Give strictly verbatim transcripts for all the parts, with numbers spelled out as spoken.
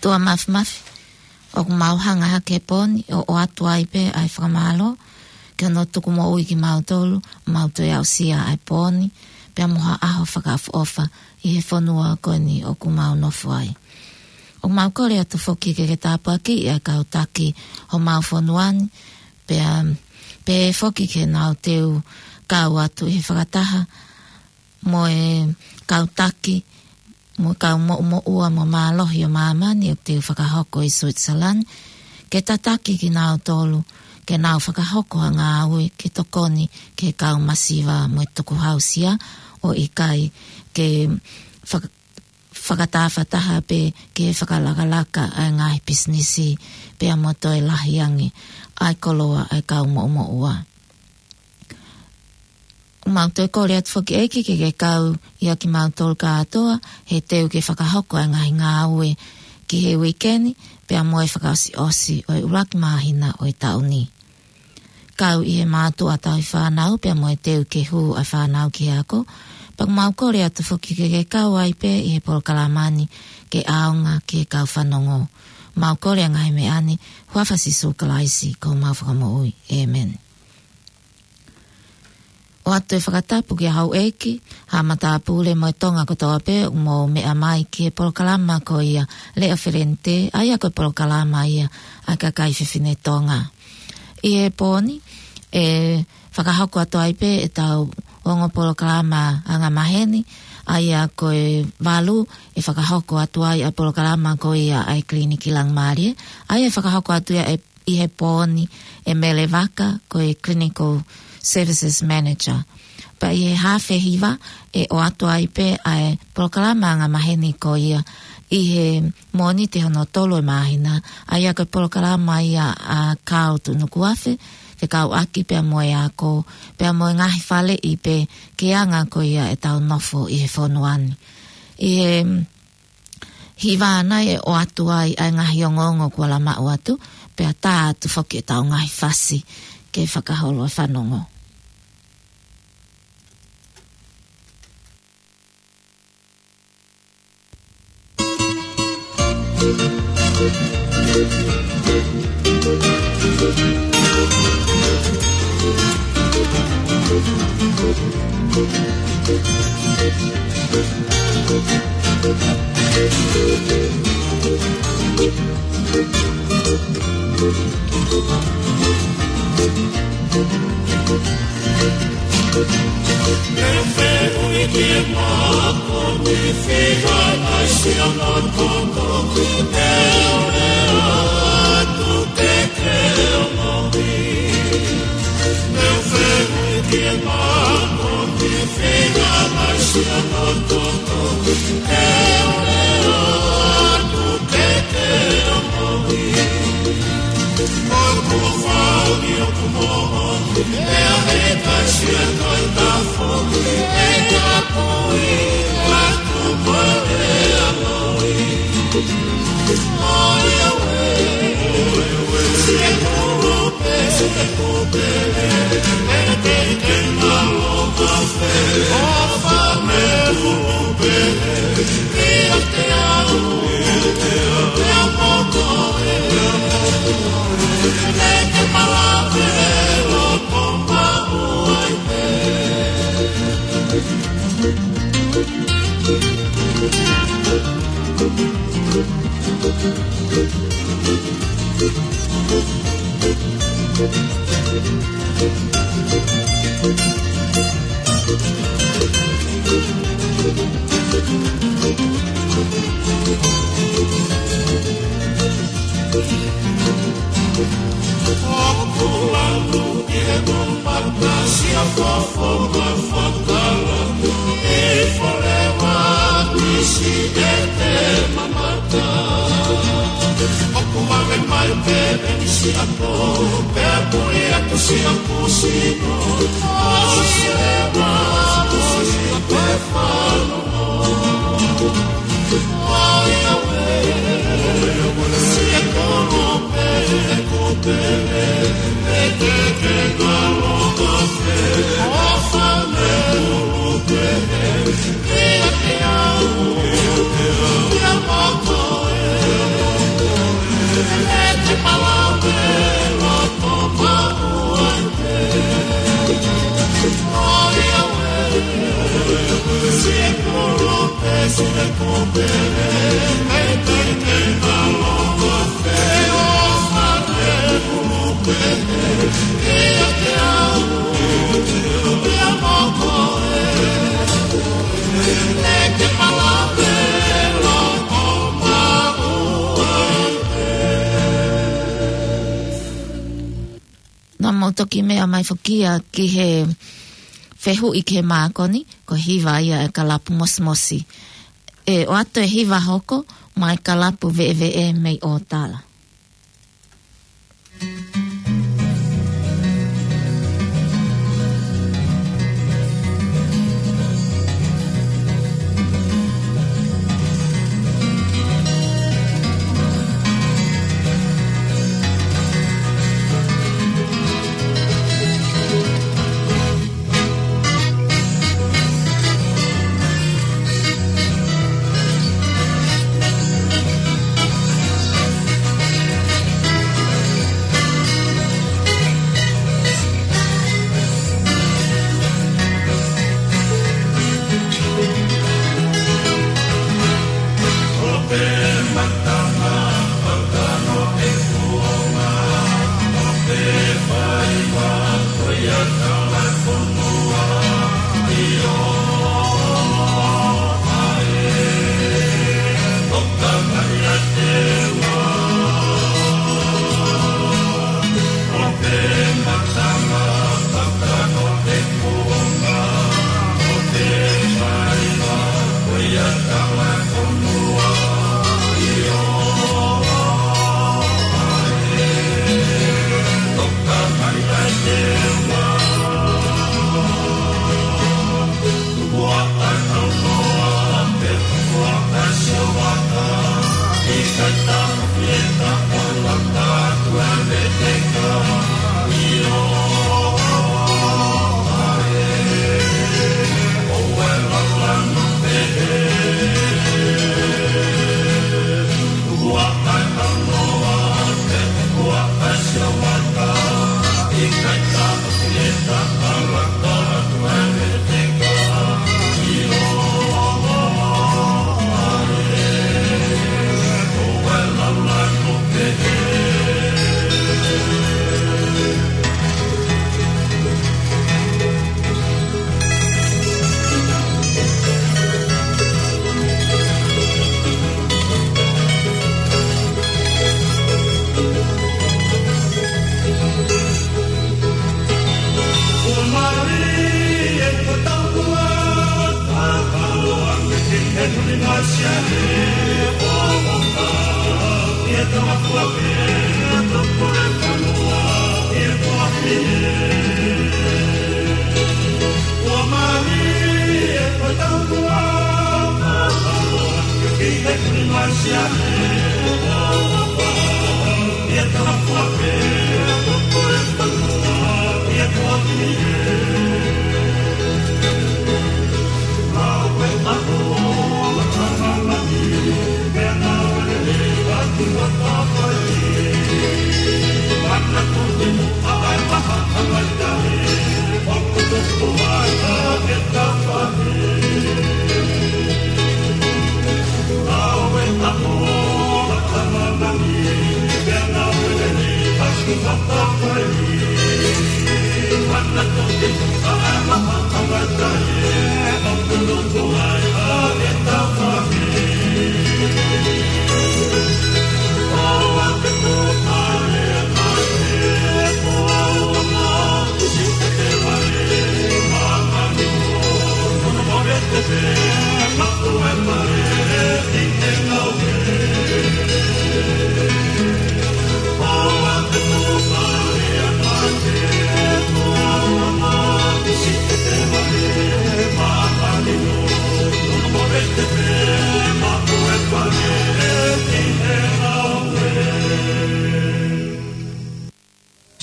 ʻOtua Māfimafi, ʻoku mau hanga hake he pō ni ʻo ʻoatu ai pē ʻa e fakamālō, ke ʻoua naʻa tuku moʻui kimautolu, mau toe aʻusia ʻa e pō ni, pea mo ha ʻaho fakaʻofoʻofa ʻi he fonua ko eni ʻoku mau nofo ai. ʻOku mau kole atu foki ke ke tāpuakiʻi ʻa e kau taki homau fonua ni, pea, pea foki ke nau teu kau atu ʻi he fakataha mo e kau taki, mo e kau moʻumoʻua mo mālohi ʻo māmani ʻoku teu fakahoko ʻi Switzerland, ke tataki kinautolu, ke nau fakahoko ha ngāue ke tokoni ki he kau masiva mo e tukuhausia, ʻo ʻikai ke faka-, fakatāfataha pē ke fakalakalaka ʻa e ngaahi pisinisi pea mo toe lahi ange ʻa e koloa ʻa e kau moʻumoʻua. ʻOku mau toe kole atu foki ʻEiki ke ke kau ʻia kimautolu kātoa, he teu ke fakahoko ʻa e ngaahi ngāue ki he uike ni, pea mo e fakaʻosiʻosi ʻo e ʻuluaki māhina ʻo e taʻu ni. Kau ʻi he mātuʻa tauhi fānau, pea mo e teu ke hū ʻa e fānau ki he ako, pea ʻoku mau kole atu foki ke ke kau ai pē ʻi he polokalama ni ke ʻaonga ki he kau fanongo. Mau kole ʻa e ngaahi meʻa ni, huafa ʻo Sīsū Kalaisi ko homau Fakamoʻui. ʻĒmeni. ʻOatu e fakatapu kia Houʻeiki, Haʻa Matāpule mo e Tonga kotoa pē ʻoku mou meʻa mai ki he polokalama ko ia Leʻo Felente, ʻa ia ko e polokalama ia ʻa e kakai fefine Tonga. ʻI he pō ni, ʻe fakahoko atu ai pē ʻetau ongo polokalama angamaheni, ʻa ia ko e valu, ʻe fakahoko atu ai ʻa e polokalama ko ia ʻa e Kiliniki Langimālie, ʻa ia ʻe fakahoko atu ia ʻe ʻi he pō ni ʻe Mele Vaka, ko e Clinical Services Manager. Pea ʻi he haafe hiva ʻe ʻoatu ai pē ʻa e polokalama angamaheni ko ia ʻi he Mōnite hono tolu ʻo e māhina, ʻa ia ko e polokalama ia ʻa Kao Tuʻunukuafe, fekauʻaki pea mo e ako, pea mo e ngaahi faleʻi pē ke anga ko ia ʻetau nofo ʻi he fonua ni. ʻI he hiva ʻanai ʻe ʻoatu ai ʻa e ngaahi ongoongo kuo lava maʻu atu, pea tā atu foki ʻetau ngaahi fasi ke fakaholo e fanongo. Naʻa mau toki meʻa mai foki ia ki he fehuʻi ki he mākoni, ko e hiva ia ʻa e kalapu mosimosi. ʻE ʻoatu e hiva hoko maʻa e kalapu veʻeveʻe mei ʻOtala.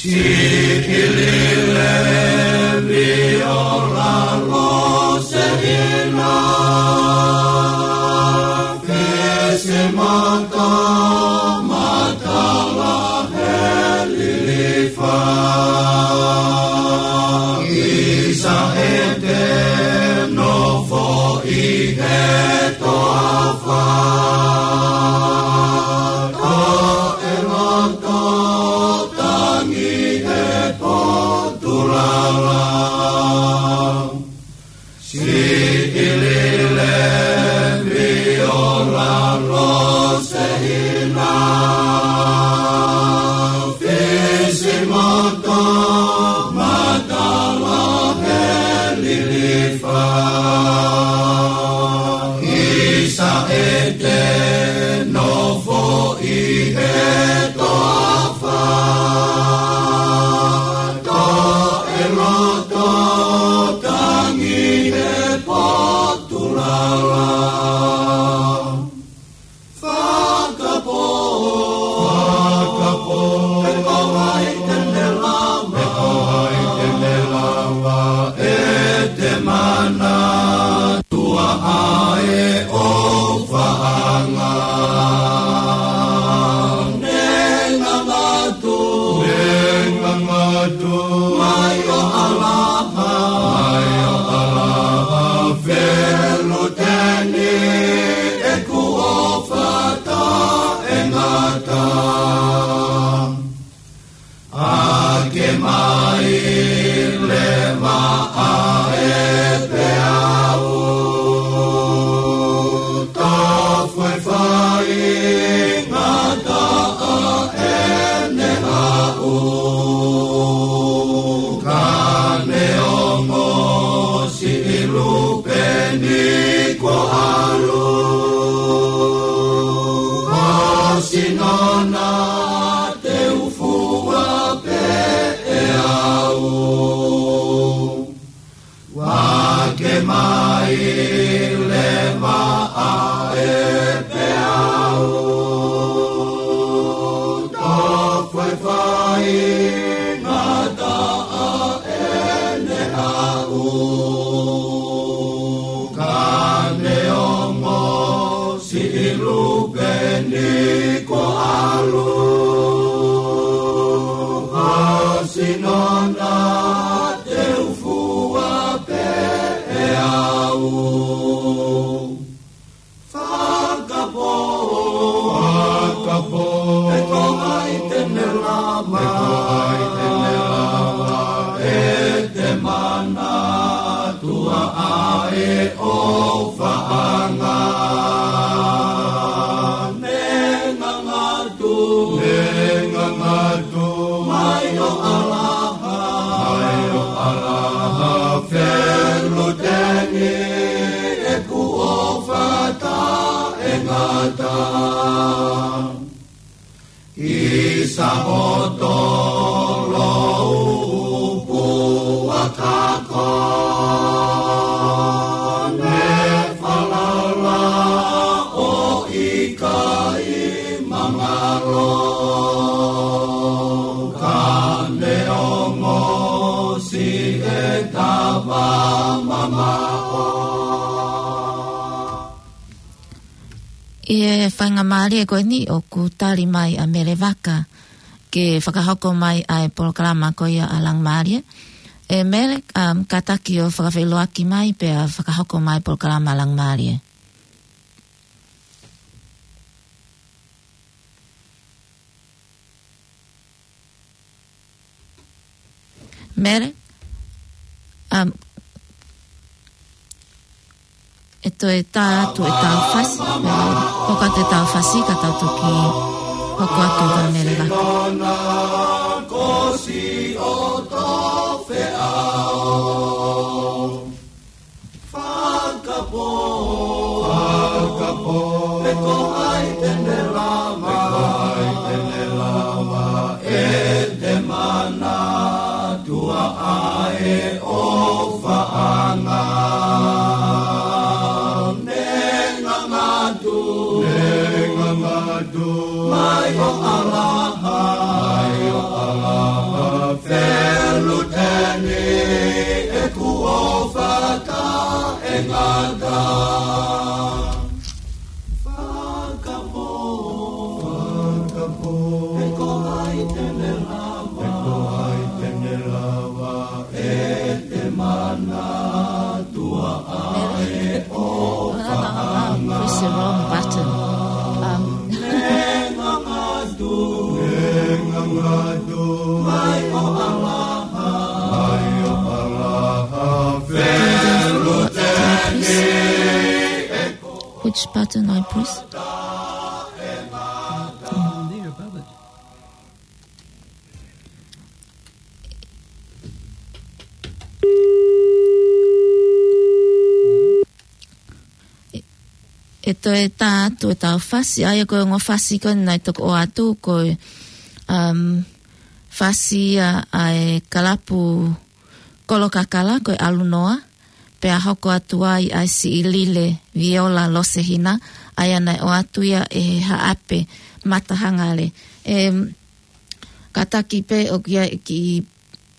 Sikilile viola lo se ina, fese mata, matala he lilifa. Isa ʻete nofo ʻi he toafa. Losehina, Fisimoto, Matala, Helilifa, Isaete, Nofoʻi, Etoafa, Toʻeloto, Tangi, Hepotulala. Fakapō. Fakapō. Pe ko hai te ne lava. Pe ko hai te ne lava. ʻE te mana tua ʻa e ʻofaʻanga. Nengangatu. Nengangatu. Mai ʻo ʻalaha. Mai ʻo ʻalaha. Feluteni. ʻEku ʻofa taʻengata. ʻAke mai leva ʻa e peau. Tofu e faingataʻa ʻene haʻu. Ka ne ongo siʻi Lupeni kuo ʻalu. Hosi nona te u fua pē ʻe au. ʻAke mai leva ʻa e peau. Tofu e faingataʻa ʻene haʻu. Ka ne ongo siʻi Lupeni kuo ʻalu. Hosi nona te u fua pē ʻe au. Fakapō. Fakapō. Pe ko hai te ne lava. Pe ko hai te ne lava. ʻE te mana tua ʻa e ʻofaʻanga. Nengangatu. Nengangatu. Mai ʻo ʻalaha. Mai ʻo ʻalaha. Feluteni. ʻEku ʻofa taʻengata. ʻI Saʻoto, Loupu, Akako, ne falala ʻo ʻikai mangalo. Ka ne ongo siʻi tava mamaʻo. ʻI he faingamālie ko eni ʻoku tali mai ʻa Mele Vaka ke fakahoko mai ʻa e polokalama ko ia ʻa Langimālie. ʻE Mele, um, kātaki ʻo fakafeʻiloaki mai pea fakahoko mai polokalama Langimālie. Mele, um, ʻe toe tā atu ʻetau fasi, ʻe hoko atu ʻetau fasi ka tau toki hoko atu ka Mele Vaka. Fakapō. Fakapō. Pe ko hai te ne lava. Pe ko hai te ne lava. ʻE te mana tua ʻa e ʻofaʻanga. Nengangatu. Nengangatu. Mai ʻo ʻalaha. Mai ʻo ʻalaha. Feluteni ʻeku ʻofa taʻengata. Fakapō. Fakapō. Pe ko hai te ne lava. Pe ko hai te ne lava. ʻE te mana tua ʻa e ʻofaʻanga. Press the wrong button. Um, Nengangatu. Nengangatu. Mai ʻo ʻalaha. Mai ʻo ʻalaha. Feluteni. Which button I press? toe tā atu ʻetau fasi, ʻa ia ko e ongo fasi ko eni naʻe toki ʻoatu ko e, um, fasi ʻa, ʻa e kalapu Kolokakala ko e ʻAlunoa, pea hoko atu ai ʻa e siʻi lile Viola Losehina, ʻa ia naʻe ʻoatu ia ʻe he haʻape Matahangale. Em, kātaki pē ʻoku ʻi ai e kiʻi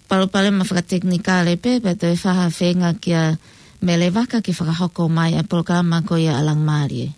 palopalema fakatekinikale pē, pea toe fai ha feinga kia Mele Vaka ke fakahoko mai ʻa e polokalama ko ia ʻa Langimālie.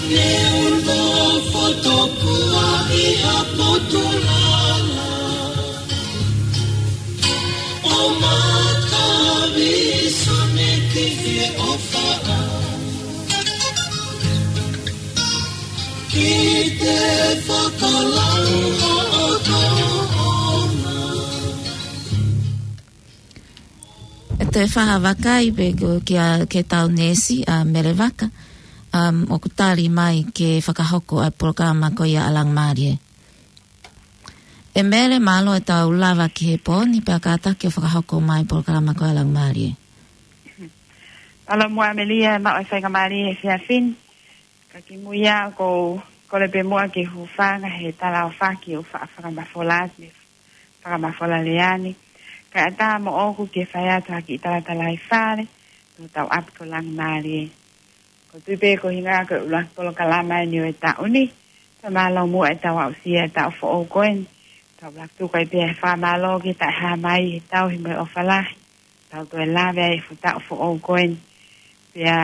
Neongo fotokua ʻi ha potu lala, ʻo mata visa me ki he ʻofa. Ki te fakalau ʻo ʻotoʻona. ʻE toe fai ha vakai pē ko kia, ke tau neesi ʻa Mele Vaka, um, ʻoku tali mai ke fakahoko ʻa e polokalama ko ia ʻa Langimālie. ʻE Mele, mālō ʻetau lava ki he pō ni pea kātaki ʻo fakahoko mai polokalama ko ia ʻa Langimālie. Mālō muʻa Melia, maʻu e faingamālie he efiafi ni. Ka kimuʻa ʻoku ou kole pē muʻa ke u hūfanga he tala ʻofa ʻoku ou faʻa fakamafola atu mei he fakamafola lea ni. Kae ʻatā moʻoku ke fai atu ha kiʻi talatalaifale, ki hotau ʻapi ko Langimālie. ʻOku ou tui pē ko e ʻuhinga ko e ʻuluaki polokalama eni ʻo e taʻu ni, pea mālō muʻa ʻetau aʻusia e taʻu foʻou ko eni. Tau ʻuluaki tuku ai pē ʻa e fakamālō ki he Taʻehāmai he tauhi mo e ʻofa lahi. Tau toe lave ai he fuʻu taʻu foʻou ko eni. Pea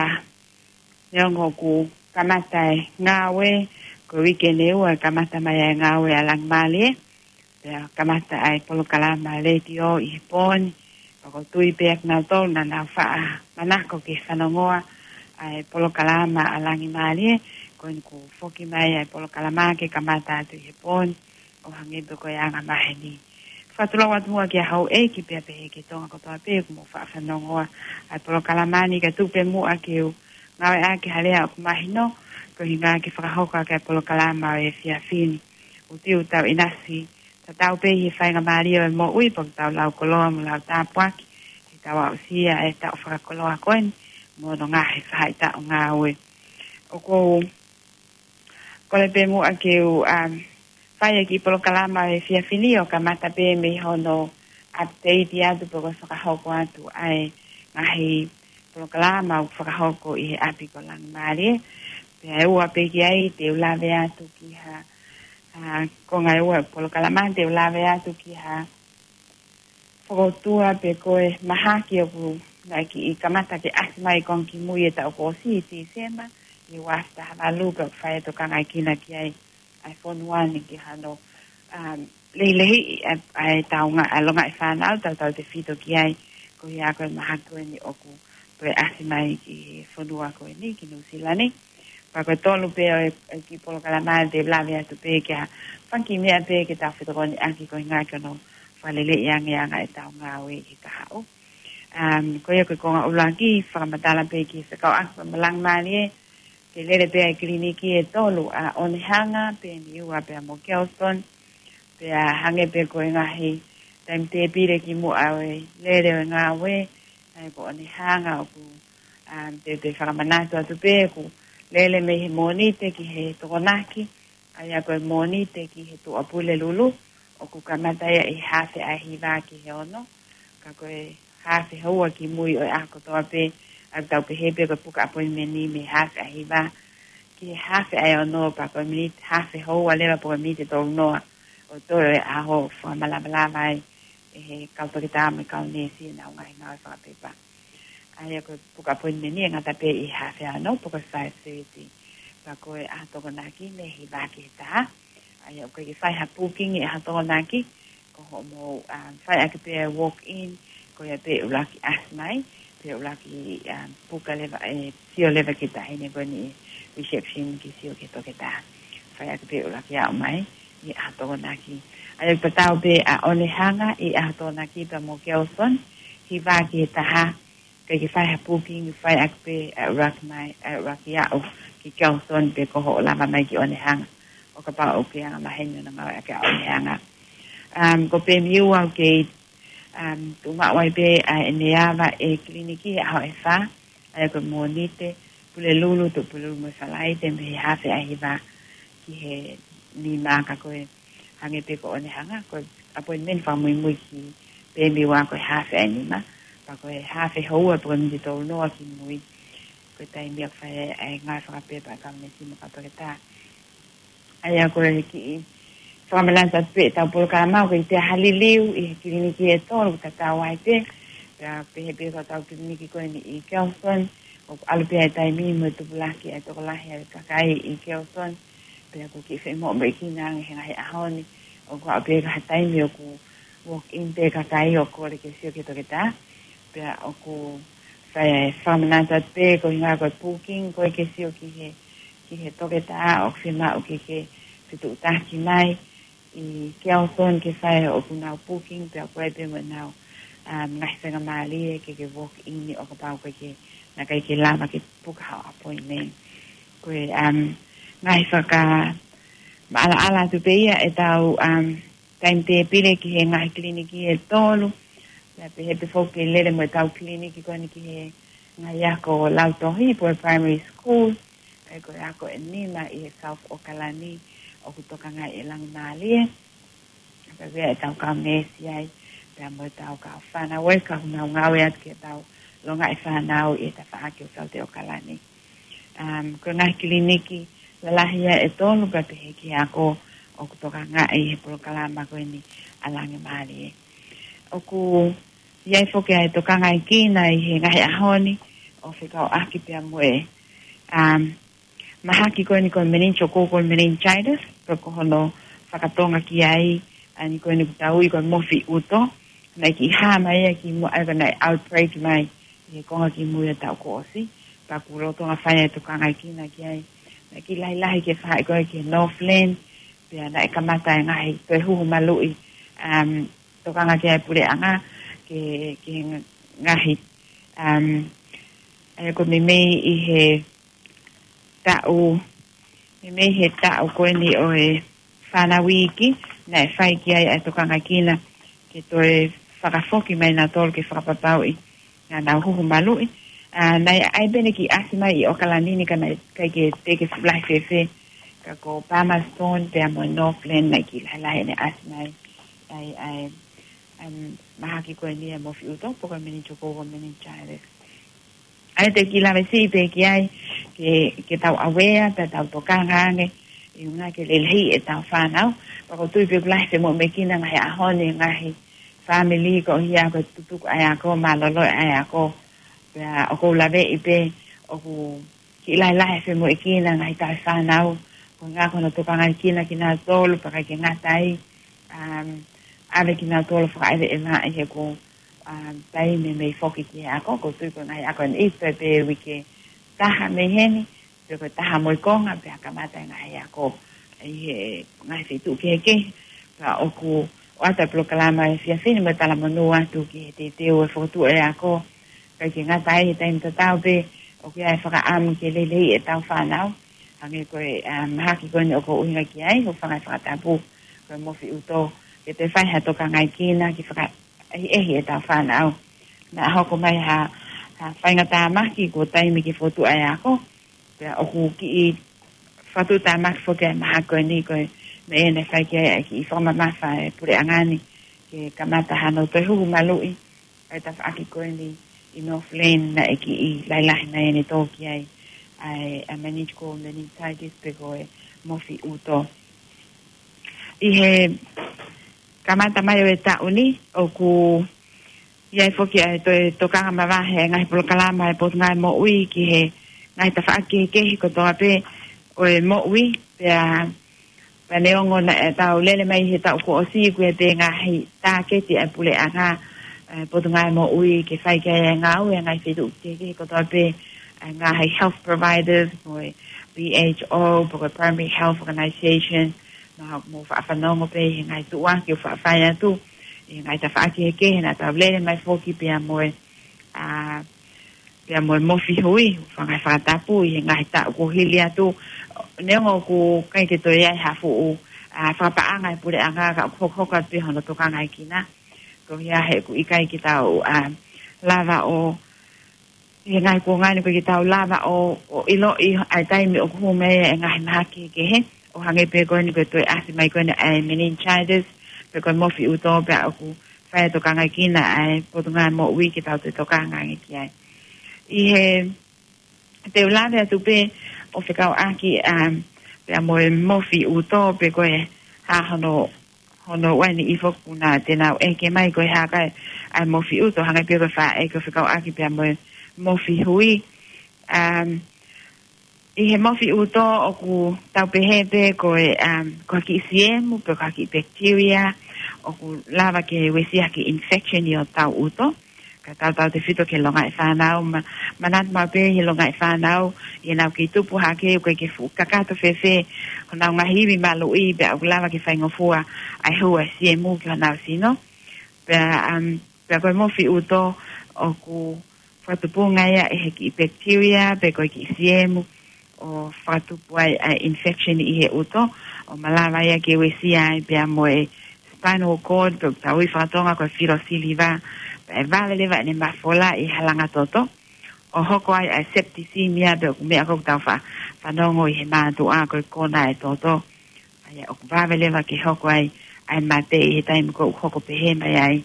neongo kuo kamata e ngāue, ko e uike eni ʻe ua ʻe kamata mai ai e ngāue ʻa Langimālie, pea kamata ai e polokalama letiō ʻi he pō ni. Pea ʻoku ou tui pē ʻa kinautolu naʻa nau faʻa manako ke fanongoa ʻa e polokalama ʻa Langimālie, ko eni kuo foki mai ʻa e polokalama ke kamata atu ʻi he pō ni ʻo hangē pē ko e anga maheni. Fakatulou atu muʻa kia houʻeiki pea pehē ki he Tonga kotoa pē ʻoku mou faʻa fanongoa ʻa e polokalama ni, kae tuku pē muʻa ke u ngāueʻaki ha lea ʻoku mahino, ko e ʻuhinga ke fakahoko ʻaki ʻa e polokalama ʻo e efiafi ni. ʻOku ou tui ʻoku tau ʻinasi tatau pē ʻi he faingamālie ʻo e moʻui, pea ʻoku tau lau koloa mo lau tāpuaki, ke tau aʻusia e taʻu fakakoloa ko eni, mo hono ngaahi faʻahitaʻu ngāue. ʻOku ou kole pē muʻa ke u, um, fai e kiʻi polokalama he efiafi ni ʻo kamata pē mei hono update atu pe ko e fakahoko atu ʻa e ngaahi polokalama ʻoku fakahoko ʻi he ʻapi ko Langimālie. Pea ʻe ua pē ki ai te u lave atu ki ha, uh, konga ʻe ua polokalama te u lave atu ki ha fakaʻotua pe ko e mahaki ʻoku naʻe kiʻi kamata ke ʻasi mai konga kimui e taʻu kuo ʻosi ʻi Tīsema, ʻi he uaafe taha valu, pea ʻoku fai e tokangaʻekina ki ai ʻa e fonua ni ki hano, um, lehilehiʻi ʻa e, ʻa e taunga, ʻa e longaʻi fānau, tautautefito ki ai, ko ia ko e mahaki ko eni ʻoku toe ʻasi mai ki he fonua ko eni, ki Nuʻu Sila ni. Pea ko e tolu pē ʻo e, e kiʻi polokalama te u lave atu pē ki ha fanga kiʻi meʻa pē ke tau fetokoniʻaki ko e ʻuhinga ke nau fakaleleiʻi ange ʻa e anga ʻetau ngāue ʻi he kahaʻu. Um, ko ia ko e konga ʻuluaki, fakamatala pē ki he fekauʻaki mo Langimālie, ke lele pē ʻa e kiliniki ʻe tolu, ʻa ʻOnehanga, Peniua pea mo Kelston, pea hangē pē ko e ngaahi taimi tēpile kimuʻa ʻo e lele ʻo e ngāue, ʻa ia ko ʻOnehanga ʻoku, um, te, te fakamanatu atu pē ʻoku lele mei he Mōnite ki he Tokonaki, ʻa ia ko e Mōnite ki he Tuʻapulelulu, ʻoku kamata ia ʻi he hafe ʻa e hiva ki he ono, ka ko e hafe houa kimui ʻo e ʻaho kotoa pē, ʻa ia ʻoku tau pehē pē ko e puka appointment ni mei he hafe ʻa e hiva ki he hafe ʻa e ono, pea ko e miniti hafe houa leva pe ko e miniti ʻe tolu noa ʻo toe ʻo e ʻaho, fakamalavalava ai ʻe he kau toketā mo e kau neesi ʻenau ngaahi ngāue fakapepa. ʻA ia ko e puka appointment ni ʻe ngata pē ʻi he hafe ʻa e ono pe ko e five thirty. Pea ko e ʻaho Tokonaki mei he hiva ki he taha. ʻA ia ʻoku ʻikai ke fai ha booking ʻi he ʻaho Tokonaki, ko hoʻomou, um, fai ʻaki pē ʻa e walk in, Ko ia pē ʻuluaki ʻasi mai, pea ʻuluaki, um, puka leva, ʻe, sio leva ki he taʻahine ko eni ʻi he reception ke sio ki he toketā. Fai ʻaki pē ʻuluaki aʻu mai ʻi he ʻaho Tokonaki. ʻA ia ʻoku tatau pē ʻa ʻOnehanga ʻi he ʻaho Tokonaki pea mo Kelson, hiva ki he taha, ʻikai ke fai ha booking, fai ʻaki pē ʻa e ʻuluaki mai, ʻa e ʻuluaki aʻu ki Kelson pe ko hoʻo lava mai ki ʻOnehanga. ʻO kapau ʻoku ke anga maheni hono ngāueʻaki ʻa ʻOnehanga. Um, ko Pemiua ʻoku kei, um, tuʻu maʻu ai pē ʻa ʻene ava e kiliniki he ʻaho ʻe fā, ʻa ia ko e Mōnite, Pulelulu, Tuʻapulelulu mo e Falaite, mei he hafe ʻa e hiva ki he nima, ka ko e hangē pē ko ʻOnehanga, ko e appointment fakamuimui ki Pemiua ko e hafe ʻa e nima, pea ko e hafe houa pe ko e miniti tolu noa ki mui, ko e taimi ia ʻoku fai ai ʻa e ngāue fakapepa ʻa e kaunisi mo e kau toketā. ʻA ia ko e kiʻi fakamanatu atu pē ʻetau polokalama, ʻoku ʻikai toe ʻi ai ha liliu ʻi he kiliniki ʻe tolu, ʻoku tatau ai pē, pea pehē pē ko ʻetau kiliniki ko eni ʻi Kelson, ʻoku ʻalu pē ʻa e taimi mo e tupulaki ʻa e tokolahi ʻa e kakai ʻi Kelson, pea ʻoku kiʻi femoʻuekina ange he ngaahi ʻaho ni, ʻoku aʻu pē ki ha taimi ʻoku walk in pē kakai ʻo kole ke sio ki he toketā, pea ʻoku fai e fakamanatu atu pē ko e ʻuhinga ko e booking, ko e ke sio ki he, ki he toketā ʻoku fiemaʻu ke ke fetuʻutaki mai ʻi Kelson ke fai ʻoku nau booking, pea ʻoku ʻi ai pē mo ʻenau, um, ngaahi faingamālie ke ke walk in ʻo kapau ko e ke naʻe ʻikai ke lava ke puka haʻo appointment. Ko e, um, ngaahi fakamaʻalaʻala atu pē ia ʻetau, um, timetable ki he ngaahi kiliniki ʻe tolu. Pea pehē pē foki ke lele mo ʻetau kiliniki ko eni ki he ngaahi ako lautohi pe ko e primary school. ʻA ia ko e ako ʻe nima ʻi he South ʻAokalani ʻoku tokangaʻi ʻe Langimālie. Pea ʻoku ʻi ai ʻetau kau neesi ai, pea mo ʻetau kau fānau ē, ka ʻoku nau ngāue atu ki heʻetau longaʻi fānau ʻi he tafaʻaki ʻo South ʻAokalani. Um, ko e ngaahi kiliniki lalahi ia ʻe tolu pea pehē ki he ako ʻoku tokangaʻi he polokalama ko eni ʻa Langimālie. ʻOku ʻi ai foki ʻa e tokangaekina ʻi he ngaahi ʻaho ni ʻo fekauʻaki pea mo e, um, mahaki ko eni ko e meningococcal meningitis, pe ko hono fakatonga ki ai ʻa eni ko eni ʻoku tau ui ko e mofi ʻuto, naʻe kiʻi hā mai ia ki muʻa, ʻa ia ko e naʻe outbreak mai ʻi he konga ki mui ʻo e taʻu kuo ʻosi, pea ʻoku lolotonga fai ʻa e tokangaekina ki ai. Naʻe kiʻi lahilahi ke fai ko ē ki he Northland, pea naʻe kamata e ngaahi toe huhu maluʻi, um, tokanga ki ai e puleʻanga, ki he, ki he ngaahi, um, ʻa ia ko e meimei ʻi he taʻu, meimei he taʻu ko eni ʻo e fānau iiki, naʻe fai ki ai ʻa e tokangaekina ke toe fakafoki mai nautolu ke fakapapauʻi naʻa nau huhu maluʻi. ʻA, naʻe ʻi ai pē ʻene kiʻi ʻasi mai ʻi ʻAokalani ni ka naʻe ʻikai ke teʻeki ke lahi fēfē. Ka ko Palmerston pea mo Northland naʻe kiʻi lahilahi ʻene ʻasi mai ai ʻa e, um, mahaki ko eni ʻa e mofi ʻuto pe ko e meningococcal meningitis. ʻA ia te u kiʻi lave siʻi pē ki ai, ke, ke tau aware, pea tau tokanga ange, ʻi he ʻuhinga ke lelei ʻetau fānau. Pea ʻoku ou tui pē ʻoku lahi e femoʻuekina he ngaahi ʻaho ni, ngaahi fāmili ko ia ko e tutuku ʻa e ako, mālōlō ʻa e ako. Pea ʻoku ou laveʻi pē, ʻoku kiʻi lahilahi e femoʻuekina he ngaahi taʻe fānau, ko e ʻuhinga ko hono tokangaekina kinautolu, pea ʻikai ke ngata ai, um, ʻave kinautolu fakaʻeveʻeva ʻi he ko, um, taimi mei foki ki he ako, ʻoku ou tui ko e ngaahi ako ʻe niʻihi pē uike ʻe taha mei heni, pe ko e taha mo e konga, pea kamata e ngaahi ako ʻi he ngaahi feituʻu kehekehe. Pea ʻoku ʻoatu e polokalama he efiafi ni mo e talamonū atu ki he teuteu e fokotuʻu e ako, ʻikai ke ngata ai he taimi tatau pē, ʻoku ʻi ai e fakaʻamu ke lelei ʻetau fānau. Hangē ko e, um, mahaki ko eni ʻoku ou ʻuhinga ki ai, hūfanga he fakatapu, ko e mofi ʻuto, ke toe fai ha tokangaekina ke fakaʻehiʻehi ʻetau fānau. Naʻa hoko mai ha, ha faingatāmaki kuo taimi ke fokotuʻu e ako, pea ʻoku kiʻi fakatuʻutāmaki foki ʻa e mahaki ko eni ko e meʻa naʻe fai ki ai ʻa e kiʻi fakamamafa e puleʻanga ni ke kamata hano toe huhu maluʻi ʻa e tafaʻaki ko eni ʻi Northland naʻe kiʻi lahilahi mai ʻene tō ki ai ʻa e, ʻa e meningococcal meningitis pe ko e mofi ʻuto. ʻI he kamata mai ʻo e taʻu ni, ʻoku ʻi ai foki ʻa e toe tokanga mavahe e ngaahi polokalama e Potungāue Moʻui ki he ngaahi tafaʻaki kehekehe kotoa pē ʻo e moʻui, pea, pea neongo naʻa tau lele mai he taʻu kuo ʻosi, ʻoku ʻi ai pē ngaahi tāketi ʻa e puleʻanga, ʻa e Potungāue Moʻui ke fai ki ai e ngāue ʻa e ngaahi feituʻu kehekehe kotoa pē, ʻa e ngaahi health providers, mo e P H O, pe ko e Primary Health Organization, mo ha-, mo faʻa fanongo pē ʻi he ngaahi tuʻuaki ʻoku faʻa fai atu ʻi he ngaahi tafaʻaki kehekehe naʻa tau lele mai foki pea mo e, ʻa, pea mo e Mofi Hui, fanga fakatapu ʻi he ngaahi taʻu kuo hili atu, neongo ʻoku ʻikai ke toe ʻi ai ha fuʻu, ʻa, fakapaʻanga ʻa e puleʻanga ka ʻoku hokohoko atu pē hono tokangaekina. Ko ia he ʻoku ʻikai ke tau, ʻa, lava ʻo, ʻi he ngaahi kuonga ni ʻoku ʻikai ke tau lava ʻo, ʻo ʻiloʻi ʻa e taimi ʻoku hū mai ai e ngaahi mahaki kehekehe, ʻo hangē pē ko eni ko e toe ʻasi mai ko eni ʻa e meningitis, pe ko e mofi ʻuto pea ʻoku fai e tokangaekina ʻa e Potungāue Moʻui ke tau toe tokanga ange ki ai. ʻI he te u lave atu pē ʻo fekauʻaki, um, pea mo e mofi ʻuto pe ko e hā hono, hono ʻuhinga ʻi he foki naʻa te nau ʻeke mai ko e hā kai ʻa e mofi ʻuto, hangē pē ko e faʻa ʻeke ʻo fekauʻaki pea mo e mofi hui. Um, ʻi he mofi ʻuto ʻoku tau pehē pē ko e, um, ko ha kiʻi siemu pe ko ha kiʻi bacteria ʻoku lava ke uesia ha kiʻi infection ʻi hotau ʻuto. Ka tautautefito ki he longaʻi fānau, ma-, manatu maʻu pē ʻi he longaʻi fānau, ʻi heʻenau kei tupu hake, ʻoku ʻikai ke fuʻu kakato fēfē honau ngaahi ivi maluʻi, pea ʻoku lava ke faingofua ʻa e hū ʻa e siemu ki honau sino. Pea, um, pea ko e mofi ʻuto ʻoku fakatupunga ia ʻe he kiʻi bacteria, pe ko e kiʻi siemu, ʻo fakatupu ai ʻa e infection ʻi he ʻuto, ʻo malava ia ke uesia ai pea mo e spinal cord, pe ʻoku tau ui fakatonga ko e filosiliva, pea ʻe vave leva ʻene mafola ʻi he halanga toto, ʻo hoko ai ʻa e septicemia, pe ʻoku meʻa ko ē ʻoku tau fa-, fanongo ʻi he mātuʻa ko e kona e toto. ʻA ia ʻoku vave leva ke hoko ai ʻa e mate ʻi he taimi ko ē ʻoku hoko pehē mai ai.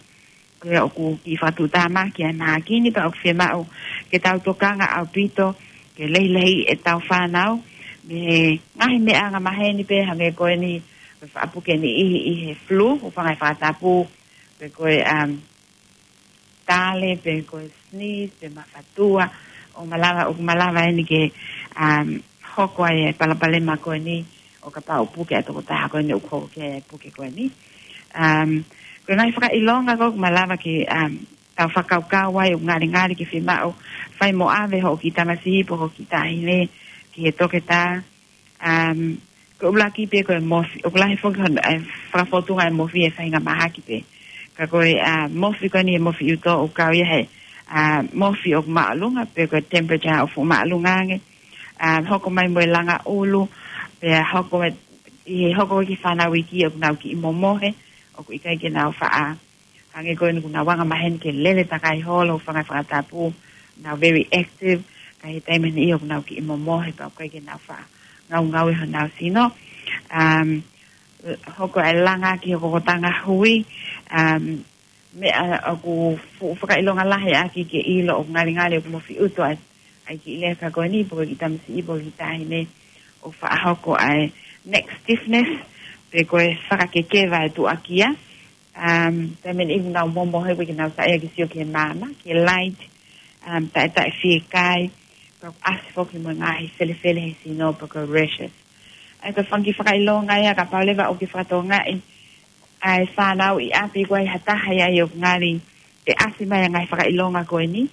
Ko ia ʻoku kiʻi fakatuʻutāmaki ʻa e mahaki ni pea ʻoku fiemaʻu ke tau tokanga ʻaupito ke lehilehiʻi ʻetau fānau mei he ngaahi meʻa angamaheni pē hangē ko eni, ko e faʻa puke niʻihi ʻi he flu, ʻo fanga e fakatapu, pe ko e, um, tale, pe ko e sneeze, pe mafatua, ʻo malava, ʻoku malava eni ke, um, hoko ai e palopalema ko eni, ʻo kapau ʻoku puke ʻa e tokotaha ko eni ʻoku hoko ki ai e puke ko eni. Um, ko e ngaahi fakaʻilonga ko ē ʻoku malava ke, um, tau fakakaukau ai ʻoku ngalingali ke fiemaʻu fai mo ʻave hoʻo kiʻi tamasiʻi pe ko e kiʻi taʻahine ki he toketā. Um, ko e ʻuluaki pē ko e mofi, ʻoku lahi foki hono, ʻa e fakafōtunga e mofi ʻi he faʻahinga mahaki pē. Ka ko e, uh, mofi ko eni e mofi ʻuto ʻoku kau ia he, uh, mofi ʻoku māʻolunga pe ko e temperature ʻoku fuʻu māʻolunga ange. Um, hoko mai mo e langa ʻulu, pea hoko mai, ʻi he hoko ki he fānau iiki ʻoku nau kiʻi momohe, ʻoku ʻikai ke nau faʻa, hangē ko eni ʻoku nau angamaheni ke lele takai holo, fanga e fakatapu, nau very active, ka ʻi he taimi ni ʻoku nau kiʻi momohe pea ʻoku ʻikai ke nau faʻa ngaungaue honau sino. Um, hoko e langa ki he kokotanga hui, um, meʻa ʻoku fuʻu fakaʻilonga lahi ʻaki ke ʻilo ʻoku ngalingali ʻoku mofi ʻuto ʻa e, ʻa e kiʻi leka ko eni, pe ko e kiʻi tamasiʻi, pe ko e kiʻi taʻahine, ʻo faʻa hoko ʻa e neck stiffness, pe ko e fakakekeva e tuʻakia. Um, taimi ni ʻoku nau momohe ʻoku ʻikai ke nau saiʻia ke sio ki he maama, ki he light, um, taʻetaʻe fiekai, pea ʻoku ʻasi foki mo e ngaahi felefele he sino pe ko e rashes. ʻA ia ko e fanga kiʻi fakaʻilonga ia kapau leva ʻoku ke fakatokangaʻi ʻa e fānau ʻi ʻapi ʻoku ʻi ai ha taha ia ʻoku ngali ʻe ʻasi mai ʻa e ngaahi fakaʻilonga ko eni.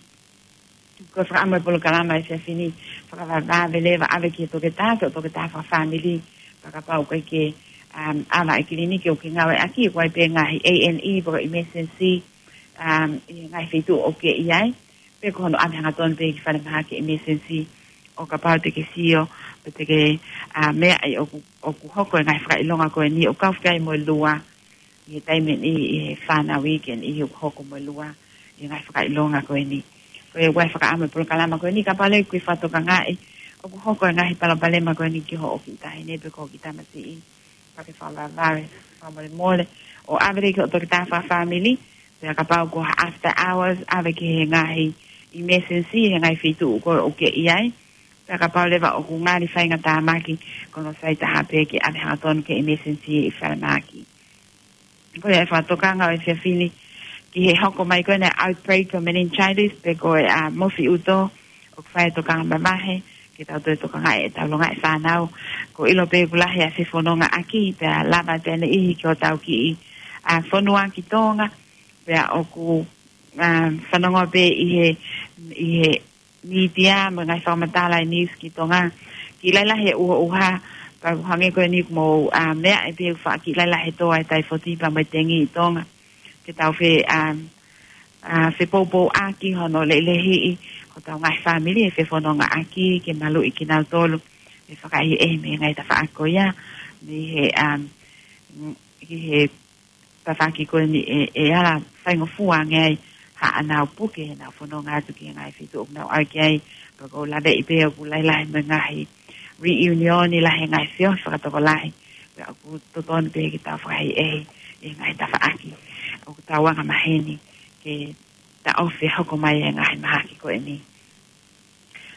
Ko e fakaʻamu e polokalama he efiafi ni, fakavavevave leva ʻave ki he toketā, ki hoʻo toketā fakafāmili, pea kapau ʻoku ʻikai ke, um, ʻave ki he kiliniki ʻoku ke ngāueʻaki, ʻoku ʻi ai pē ngaahi A and E, pe ko e emergency, um, ʻi he ngaahi feituʻu ʻoku ke ʻi ai, pe ko hono ʻave hangatonu pē ki falemahaki emergency, ʻo kapau te ke sio, pe te ke, uh, meaʻi ʻoku, ʻoku hoko e ngaahi fakaʻilonga ko eni, ʻo kau fika ai mo e lua, ʻi he taimi ni, ʻi he fānau iiki eni ʻoku hoko mo e lua, ʻi he ngaahi fakaʻilonga ko eni. Ko ia ʻoku fakaʻamu e polokalama ko eni, kapau leva ʻoku ke fakatokangaʻi ʻoku hoko e ngaahi palopalema ko eni ki hoʻo kiʻi taʻahine pe ko hoʻo kiʻi tamasiʻi, pea ke fakavavevave, fakamolemole, ʻo ʻave leva ki hoʻo toketā fakafāmili, pea kapau ko ha after hours, ʻave ki he ngaahi emergency, he ngaahi feituʻu ko ē ʻoku ke ʻi ai, pea kapau leva ʻoku ngali faingatāmaki, ko hono sai taha pē ke ʻave hangatonu ki he emergency ʻi falemahaki. Ko ia e fakatokanga ʻo e efiafi ni ki he hoko mai ko eni e outbreak ʻo e meningitis pe ko e, uh, mofi ʻuto, ʻoku fai e tokanga mamahi ke tau toe tokangaʻi ʻetau longaʻi fānau. ʻOku ʻilo pē ʻoku lahi ʻa e fefonongaʻaki, pea lava atu ʻene ʻihi ki hotau kiʻi, uh, fonua ki Tonga, pea ʻoku ʻa, fanongo pē ʻi he, ʻi he mītia mo e ngaahi fakamatala ʻi News ki Tonga. Kiʻi lahi lahi e ʻuha ʻuha, pea ʻoku hangē ko eni ʻoku mou, ʻa, meaʻi pē ʻoku faʻa kiʻi lahi lahi e tō ʻa e taifoti pea mo e tengi ʻi Tonga. Ke tau fe, ʻa, ʻa, fepoupouaki hono lelehiʻi hotau ngaahi fāmili ʻe fefonongaʻaki ke maluʻi kinautolu ʻe fakaʻehiʻehi mei he ngaahi tafaʻaki ko ia, mei he, ʻa, ki he tafaʻaki ko eni ʻe, ʻe ala faingofua ange ai haʻanau puke heʻenau fononga atu ki he ngaahi feituʻu ʻoku nau ʻai ki ai. Pea ʻoku ou laveʻi pē ʻoku lahi lahi mo e ngaahi reunion ʻi lahi e ngaahi feohi fakatokolahi. Pea ʻoku totonu pē ke tau fakaʻehiʻehi ʻi he ngaahi tafaʻaki ʻoku tau anga maheni ke taʻofi e hoko mai e ngaahi mahaki ko eni.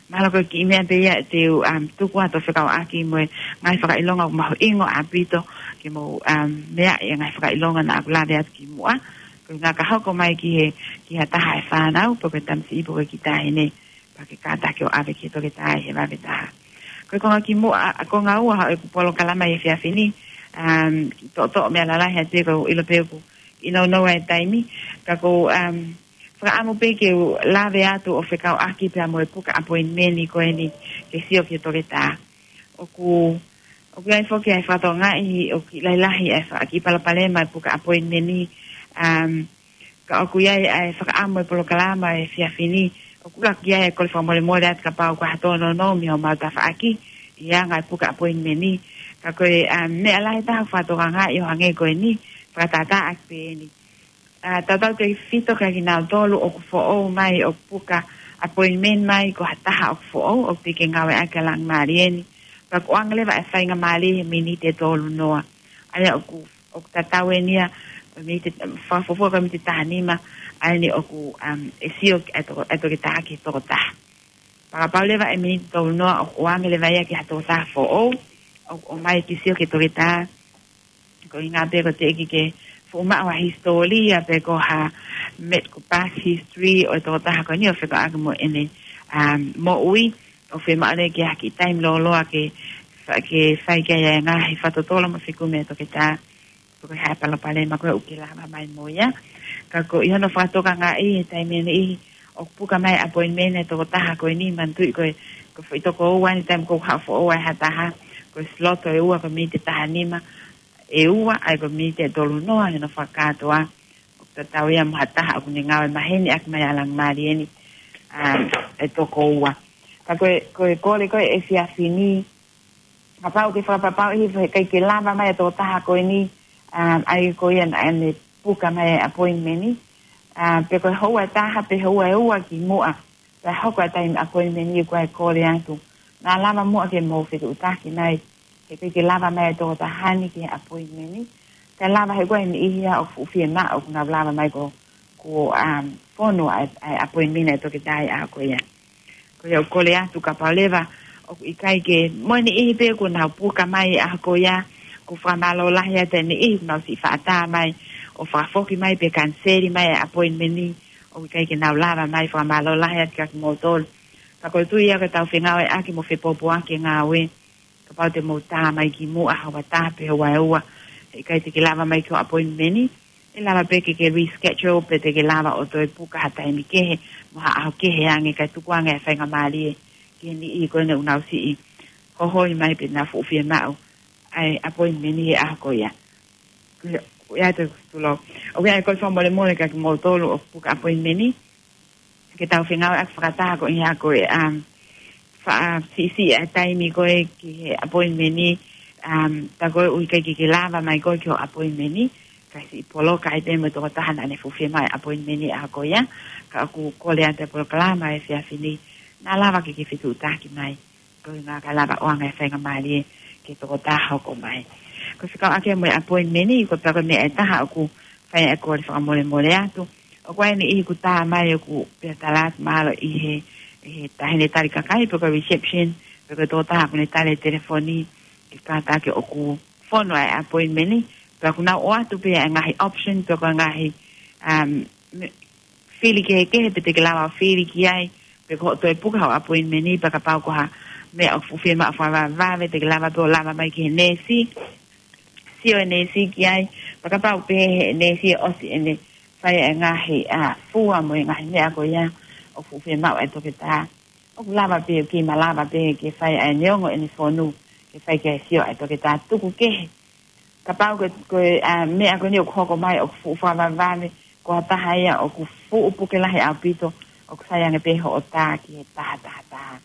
Mahalo ko e kiʻi meʻa pē ia te u, ʻa, tuku atu ʻo fekauʻaki mo e ngaahi fakaʻilonga ʻoku mahuʻinga ʻaupito ke mou, ʻa, meaʻi e ngaahi fakaʻilonga naʻa ku lave atu ki muʻa. Ko e ʻuhinga ka hoko mai ki he, ki ha taha e fānau, pe ko e tamasiʻi pe ko e kiʻi taʻahine, pea ke kātaki ʻo ʻave ki he toketā ʻi he vave taha. Ko e konga ki muʻa, ʻa, konga ua ʻo ʻeku polokalama ʻi he efiafi ni, ʻa, kiʻi toʻotoʻo meʻa lalahi atu ko e ʻilo pē ʻoku ʻi he nounou ʻa e taimi, ka ʻoku ou, ʻa, fakaʻamu pē ke u lave atu ʻo fekauʻaki pea mo e puka appointment ko eni ke sio ki he toketā. ʻOku, ʻoku ʻi ai foki ʻa e fakatokangaʻi ʻoku kiʻi lahi lahi ʻa e faka-, kiʻi palopalema ʻa e puka appointment, ʻa, ka ʻoku ʻi ai ʻa e fakaʻamu e polokalama ʻi he efiafi ni, ʻoku ʻuluaki ʻi ai e kole fakamolemole atu kapau ʻoku ʻi ai ha tōnounou mei homau tafaʻaki ʻi he anga e puka appointment. Ka ko e, ʻa, meʻa lahi taha ʻoku fakatokangaʻi ʻo hangē ko eni, fakatātā ʻaki pē eni. ʻA, tautautefito kia kinautolu ʻoku foʻou mai ʻoku puka appointment mai ko ha taha ʻoku foʻou, ʻoku teʻeki ke ngāueʻaki ʻa e langa mālie ni. Pea ʻoku ʻoange leva e faingamālie he miniti ʻe tolu noa. ʻA ia ʻoku, ʻoku tatau eni ia, miniti, fakafuofua ko e miniti taha nima, ʻa eni ʻoku, ʻa, ʻe sio ki ai e toko-, e toketā ki he tokotaha. Pea kapau leva ʻe miniti tolu noa ʻoku ʻoange leva ia ki ha tokotaha foʻou ʻoku ʻomai ke sio ki he toketā, ko e ʻuhinga pē ʻoku teʻeki ke fuʻu maʻu ha hisitōlia pe ko ha medical past history ʻo e tokotaha ko eni ʻo fekauʻaki mo ʻene, ʻa, moʻui, ʻoku fiemaʻu leva ke ʻi ai ha kiʻi taimi lōloa ke fa-, ke fai ki ai e ngaahi fakatotolo mo e fekumi ʻa e toketā pe ko e hā e palopalema ko ē ʻoku ke lava mai mo ia. Ka ko ʻi hono fakatokangaʻi he taimi ʻe niʻihi ʻoku puka mai appointment e tokotaha ko eni, manatuʻi ko e, ko e foʻi toko ua eni taimi ʻoku haʻu ʻo foʻou ai ha taha, ko e slot ʻe ua ko e miniti taha nima, ʻe ua, ʻa ia ko e miniti ʻe tolu noa he hono fakakātoa, ʻoku tatau ia mo ha taha ʻoku ne ngāue maheni ʻaki mai ʻa e langa mālie ni, ʻa, ʻe toko ua. Ka ko e, ko e kole ko ē ʻi he efiafi ni, kapau ʻoku ke fakapapauʻi he ʻikai ke lava mai e tokotaha ko eni, ʻa, ʻa ia ko ia naʻa ne puka mai e appointment ni, ʻa, pe ko e houa ʻe taha pe houa ʻe ua ki muʻa, pea hoko e taimi appointment ni, ko e kole atu, naʻa lava muʻa ke mou fetuʻutaki mai, he ʻikai ke lava mai e tokotaha ni ki he appointment ni, kae lava he ko e niʻihi ia ʻoku fuʻu fiemaʻu ʻoku nau lava mai ko, ko, ʻa, fonu ʻa e, ʻa e appointment ʻa e toketā ʻi he ʻaho ko ia. Ko ia ʻoku kole atu kapau leva ʻoku ʻikai ke, mo e niʻihi pē kuo nau puka mai ʻi he ʻaho ko ia, ʻoku fakamālō lahi atu e niʻihi kuo nau siʻi faʻa tā mai ʻo fakafoki mai pe kaniseli mai e appointment ni, ʻoku ʻikai ke nau lava mai, fakamālō lahi atu kia kimoutolu. Ka ko e tui ia ko ʻetau fengāueʻaki mo fepoupouaki e ngāue, kapau te mou tā mai ki muʻa houa ʻe taha pe houa ʻe ua, he ʻikai te ke lava mai ki hoʻo appointment ni, ʻe lava pē ke ke reschedule pe te ke lava ʻo toe puka ha taimi kehe mo ha ʻaho kehe ange kae tuku ange e faingamālie ki he niʻihi ko eni ʻoku nau siʻi hohoi mai pe nau fuʻu fiemaʻu ʻa e appointment ni he ʻaho ko ia. Ko ia, ko ia te tulou. ʻOku ʻi ai e kole fakamolemole kia kimoutolu ʻoku puka appointment ni, ke tau fengāueʻaki fakataha ko ia ko e, um, faʻa siʻisiʻi e taimi ko ē ki he appointment ni, um, tā ko ē ʻoku ʻikai ke ke lava mai koe ki hoʻo appointment ni, kae siʻi poloka ai pē mo e tokotaha naʻa ne fuʻu fiemaʻu e appointment ni he ʻaho ko ia, ka ʻoku kole atu e polokalama he efiafi ni, naʻa lava ke ke fetuʻutaki mai, ko e ʻuhinga kae lava ʻo ʻoange e faingamālie ki he tokotaha hoko mai. Ko e fekauʻaki mo e appointment ni, ko e pea ko e meʻa ʻe taha ʻoku fai ai e kole fakamolemole atu. ʻOku ʻi ai e niʻihi kuo tā mai ʻoku pehē ʻe tala atu mahalo ʻe he, ʻe he taʻahine tali kakai, pe ko e reception, pe ko e tokotaha ʻoku ne tali e telefoni, ke kātaki ʻoku fonu ʻa e appointment ni, pea ʻoku nau ʻoatu pē ʻa e ngaahi option, pe ko e ngaahi, um, me-, fili kehekehe pe te ke lava ʻo fili ki ai, pe ko hoʻo toe puka hoʻo appointment ni, pea kapau ko ha meʻa ʻoku fuʻu fiemaʻu fakavavevave, te ke lava pē ʻo lava mai ki he neesi, sio e neesi ki ai, pea kapau pē he neesi ʻe ʻosi ʻene fai e ngaahi, ʻa, fua mo e ngaahi meʻa ko ia ʻoku fuʻu fiemaʻu ʻe he toketā. ʻOku lava pē, ʻoku kei malava pē ke fai ʻa e neongo ʻene fonu, ke fai ke sio ʻa e toketā tuku kehe. Kapau ko e, ko e, ʻa, meʻa ko eni ʻoku hoko mai ʻoku fuʻu fakavavevave, ko ha taha ia ʻoku fuʻu puke lahi ʻaupito, ʻoku sai ange pē hoʻo tā ki he taha taha taha,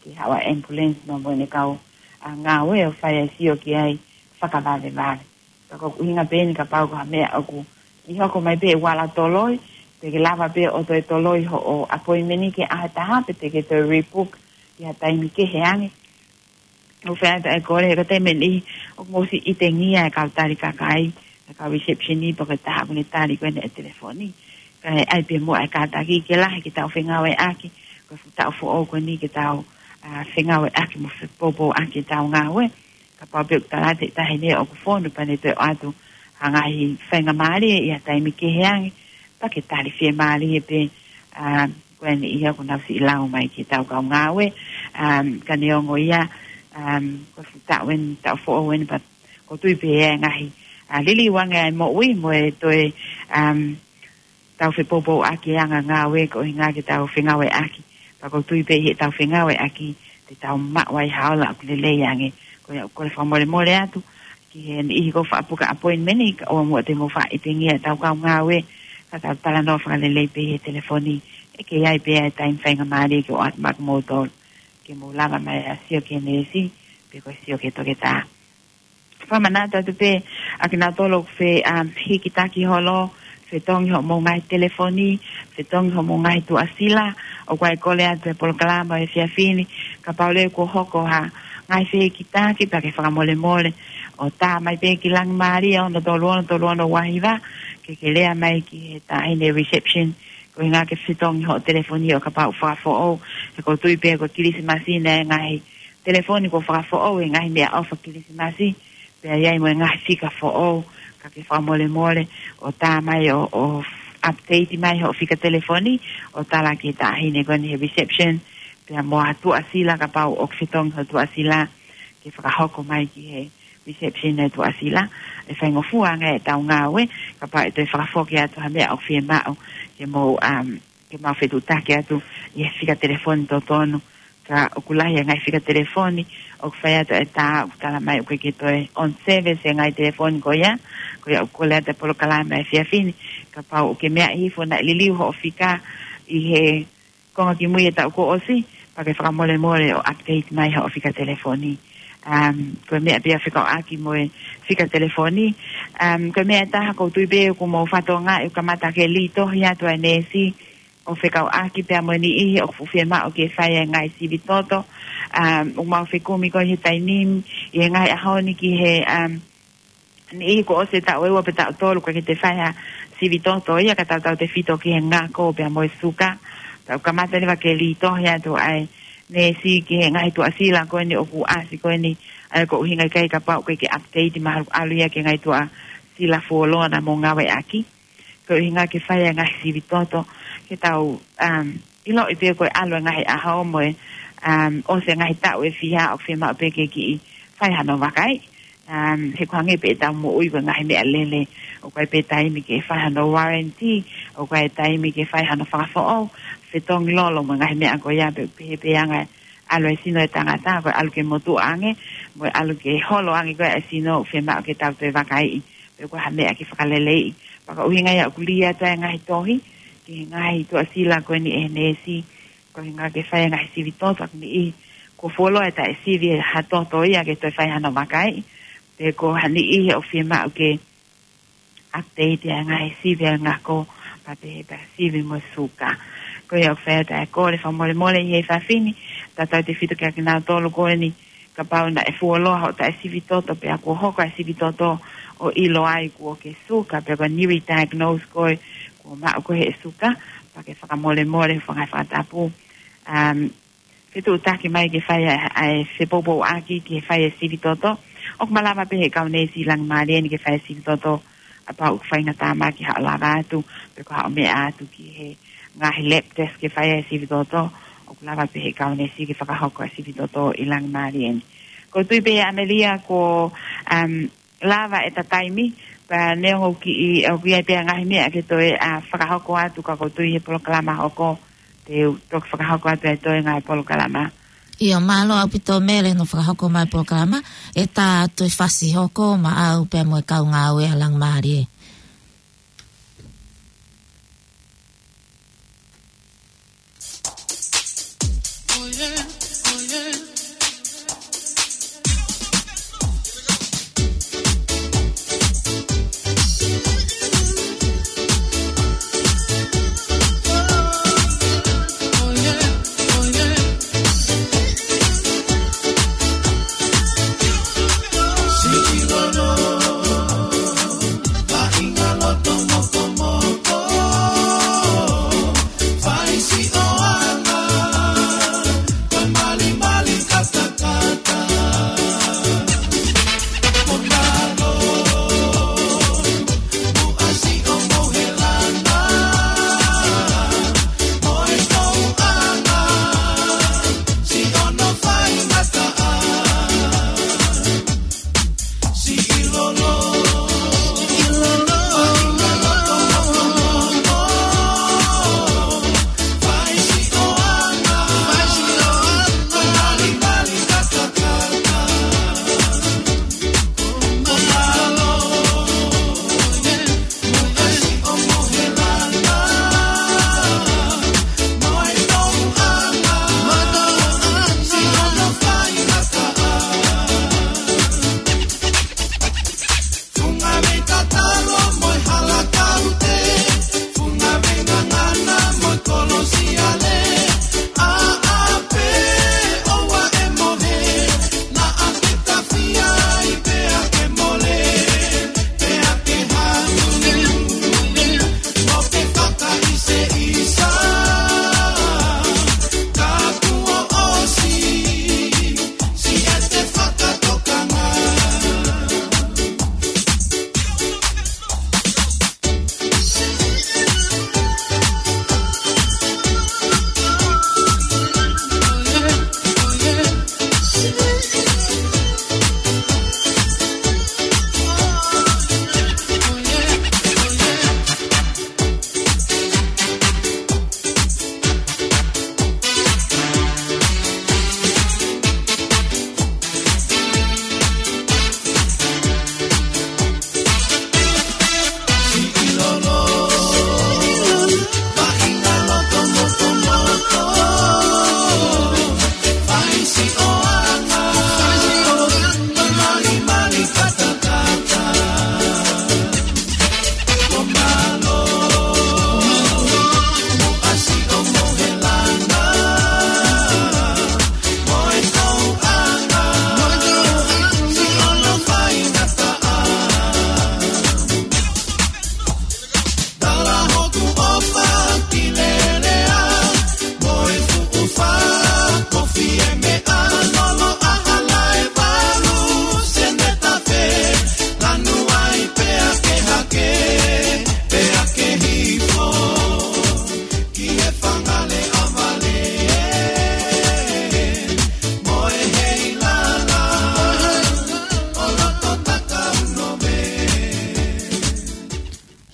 ki he haʻu ʻa e ambulance mo, mo ʻene kau, ʻa, ngāue ʻo fai e sio ki ai fakavavevave. Ka ko e ʻuhinga pē eni kapau ko ha meʻa ʻoku kiʻi hoko mai pē ʻi he vala toloi, te ke lava pē ʻo toe toloi hoʻo appointment ki he ʻaho ʻe taha, pe te ke toe rebook ki ha taimi kehe ange. ʻOku fai atu ʻa e kole, he ko e taimi ʻe niʻihi ʻoku mou ʻosi ʻitengia e kau tali kakai, e kau reception ni, pe ko e taha ʻoku ne tali ko eni e telefoni. Kae ʻai pē muʻa e kātaki ke lahi ke tau fengāueʻaki, ko e fuʻu taʻu foʻou ko eni ke tau, ʻa, fengāueʻaki mo fepoupouʻaki ʻetau ngāue. Kapau pē ʻoku tala atu ʻe he taʻahine ʻoku fonu pea ne toe ʻoatu ha ngaahi faingamālie ʻi ha taimi kehe ange, pea ke tali fiemālie pē, ʻa, ko eni ia ʻoku nau siʻi lau mai ki heʻetau kau ngāue, ʻa, ka neongo ia, ʻa, ko e fuʻu taʻu eni, taʻu foʻou eni, pea ʻoku ou tui pē ʻe ʻi ai e ngaahi, ʻa, liliu ange ʻa e moʻui mo e toe, ʻa, tau fepoupouʻaki e anga ngāue ko e ʻuhinga ke tau fengāueʻaki. Pea ʻoku ou tui pē ʻi heʻetau fengāueʻaki te tau maʻu ai ha ola ʻoku lelei ange. Ko ia ʻoku ou kole fakamolemole atu ki he niʻihi kuo faʻa puke appointment ni, kae ʻoua muʻa te mou faʻa ʻitengia ʻetau kau ngāue, ka tau talanoa fakalelei pē ʻi he telefoni, ʻe kei ʻi ai pē ʻa e taimi faingamālie ke ʻoatu maʻa kimoutolu, ke mou lava mai ʻa e sio ki he neesi, pe ko e sio ki he toketā. Fakamanatu atu pē ʻa kinautolu ʻoku fe, ʻa, hikitaki holo, fetongi hoʻomou ngaahi telefoni, fetongi hoʻomou ngaahi tuʻasila, ʻoku ʻai kole atu e polokalama ʻo e efiafi ni, kapau leva kuo hoko ha ngaahi fehikitaki pea ke fakamolemole ʻo tā mai pē ki Langimālie ono tolu ono tolu ono ua hiva, ke ke lea mai ki he taʻahine reception, ko e ʻuhinga ke fetongi hoʻo telefoni ʻo kapau ʻoku fakafoʻou, he ʻoku ou tui pē ko e Kilisimasi ni e ngaahi telefoni kuo fakafoʻou he ngaahi meʻaʻofa Kilisimasi, pea ʻi ai mo e ngaahi fika foʻou, ka ke fakamolemole ʻo tā mai ʻo, ʻo update mai hoʻo fika telefoni, ʻo tala ki he taʻahine ko eni he reception, pea mo ha tuʻasila kapau ʻoku fetongi hoʻo tuʻasila, ke fakahoko mai ki he reception e tuʻasila, ʻe faingofua ange ʻetau ngāue, kapau ʻe toe fakafoki atu ha meʻa ʻoku fiemaʻu, ke mou, um, ke mau fetuʻutaki atu ʻi he fika telefoni totonu, ka ʻoku lahi e ngaahi fika telefoni ʻoku fai atu e tā ʻoku tala mai ʻoku ʻikai ke toe on service e ngaahi telefoni ko ia, ko ia ʻoku kole atu e polokalama ʻo e efiafi ni, kapau ʻoku ke meaʻi hifo naʻe liliu hoʻo fika ʻi he konga kimui e taʻu kuo ʻosi, pea ke fakamolemole ʻo update mai hoʻo fika telefoni. Um, ko e meʻa pē ia fekauʻaki mo e fika telefoni. Um, ko e meʻa ʻe taha ʻoku ou tui pē ʻoku mou fakatokangaʻi ʻoku kamata ke lī tohi atu ʻa e neesi, ʻo fekauʻaki pea mo e niʻihi ʻoku fuʻu fiemaʻu ke fai e ngaahi sivi toto. Um, ʻoku mau fekumi ko ē he taimi ni, ʻi he ngaahi ʻaho ni ki he, um, niʻihi kuo ʻosi e taʻu ʻe ua pe taʻu tolu ʻoku ʻikai ke te fai ha sivi toto ia, ka tautautefito ki he ngako pea mo e suka. Pea ʻoku kamata leva ke lī tohi atu ʻa e neesi ki he ngaahi tuʻasila ko eni ʻoku ʻasi ko eni, ʻa ia ko e ʻuhinga ʻikai kapau ʻoku ʻikai ke update mahalo ʻalu ia ki he ngaahi tuʻasila fuoloa naʻa mou ngāueʻaki. Ko e ʻuhinga ke fai e ngaahi sivi toto, ke tau, um, ʻiloʻi pē ko e ʻalu e ngaahi ʻaho mo e, um, ʻosi e ngaahi taʻu ʻe fiha ʻoku fiemaʻu pē ke kiʻi fai hano vakaiʻi. Um, he ʻoku hangē pē ʻetau moʻui ko e ngaahi meʻalele, ʻoku ʻi ai pē taimi ke fai hano warranty, ʻoku ʻi ai taimi ke fai hano fakafoʻou, fetongi lolo mo e ngaahi meʻa ko ia pē, pehē pē anga e ʻalu e sino e tangata, ko e ʻalu ke motuʻa ange, mo e ʻalu ke holo ange ko e sino, fiemaʻu ke tau toe vakaiʻi, pe ko ha meʻa ke fakaleleiʻi. Pea ko e ʻuhinga ia ʻoku lī atu e ngaahi tohi ki he ngaahi tuʻasila ko eni ʻe he neesi, ko e ʻuhinga ke fai e ngaahi sivi toto, ʻoku niʻihi kuo fuoloa e taʻe sivi ha toto ia ke toe fai hano vakaiʻi, pe ko ha niʻihi ʻoku fiemaʻu ke update e ngaahi sivi e ngako, pea pehē pē sivi mo e suka. Ko ia ʻoku fai atu e kole fakamolemole ʻi he efiafi ni, tautautefito kia kinautolu ko eni, kapau naʻe fuoloa hoʻo taʻe sivi toto, pea kuo hoko e sivi toto ʻo ʻilo ai kuo ke suka, pe ko e newly diagnosed koe, kuo maʻu koe ʻe he suka, pea ke fakamolemole, fanga fakatapu, um, fetuʻutaki mai ke fai ʻa e, ʻa e fepoupouʻaki ke fai e sivi toto. ʻOku malava pē ʻe he kau neesi Langimālie ni ke fai e sivi toto, kapau ʻoku faingataʻa mai ke haʻu lava atu, pe ko e haʻu meʻa atu ki he ngaahi lab test ke fai e sivi toto, ʻoku lava pē ʻe he kau neesi ke fakahoko e sivi toto ʻi Langimālie ni. ʻOku ou tui pē ʻAmelia ko, um, lava ʻeta taimi, pea neongo ʻoku ʻi, ʻoku ʻi ai pē ʻa e ngaahi meʻa ke toe ʻa fakahoko atu ka ʻoku ou tui he polokalama hoko, te u toki fakahoko atu ʻa e toe ngaahi polokalama. ʻIo, mālō ʻaupito Mele hono fakahoko mai polokalama, ʻe tā atu e fasi hoko maʻau pea mo e kau ngāue ʻa Langamālie.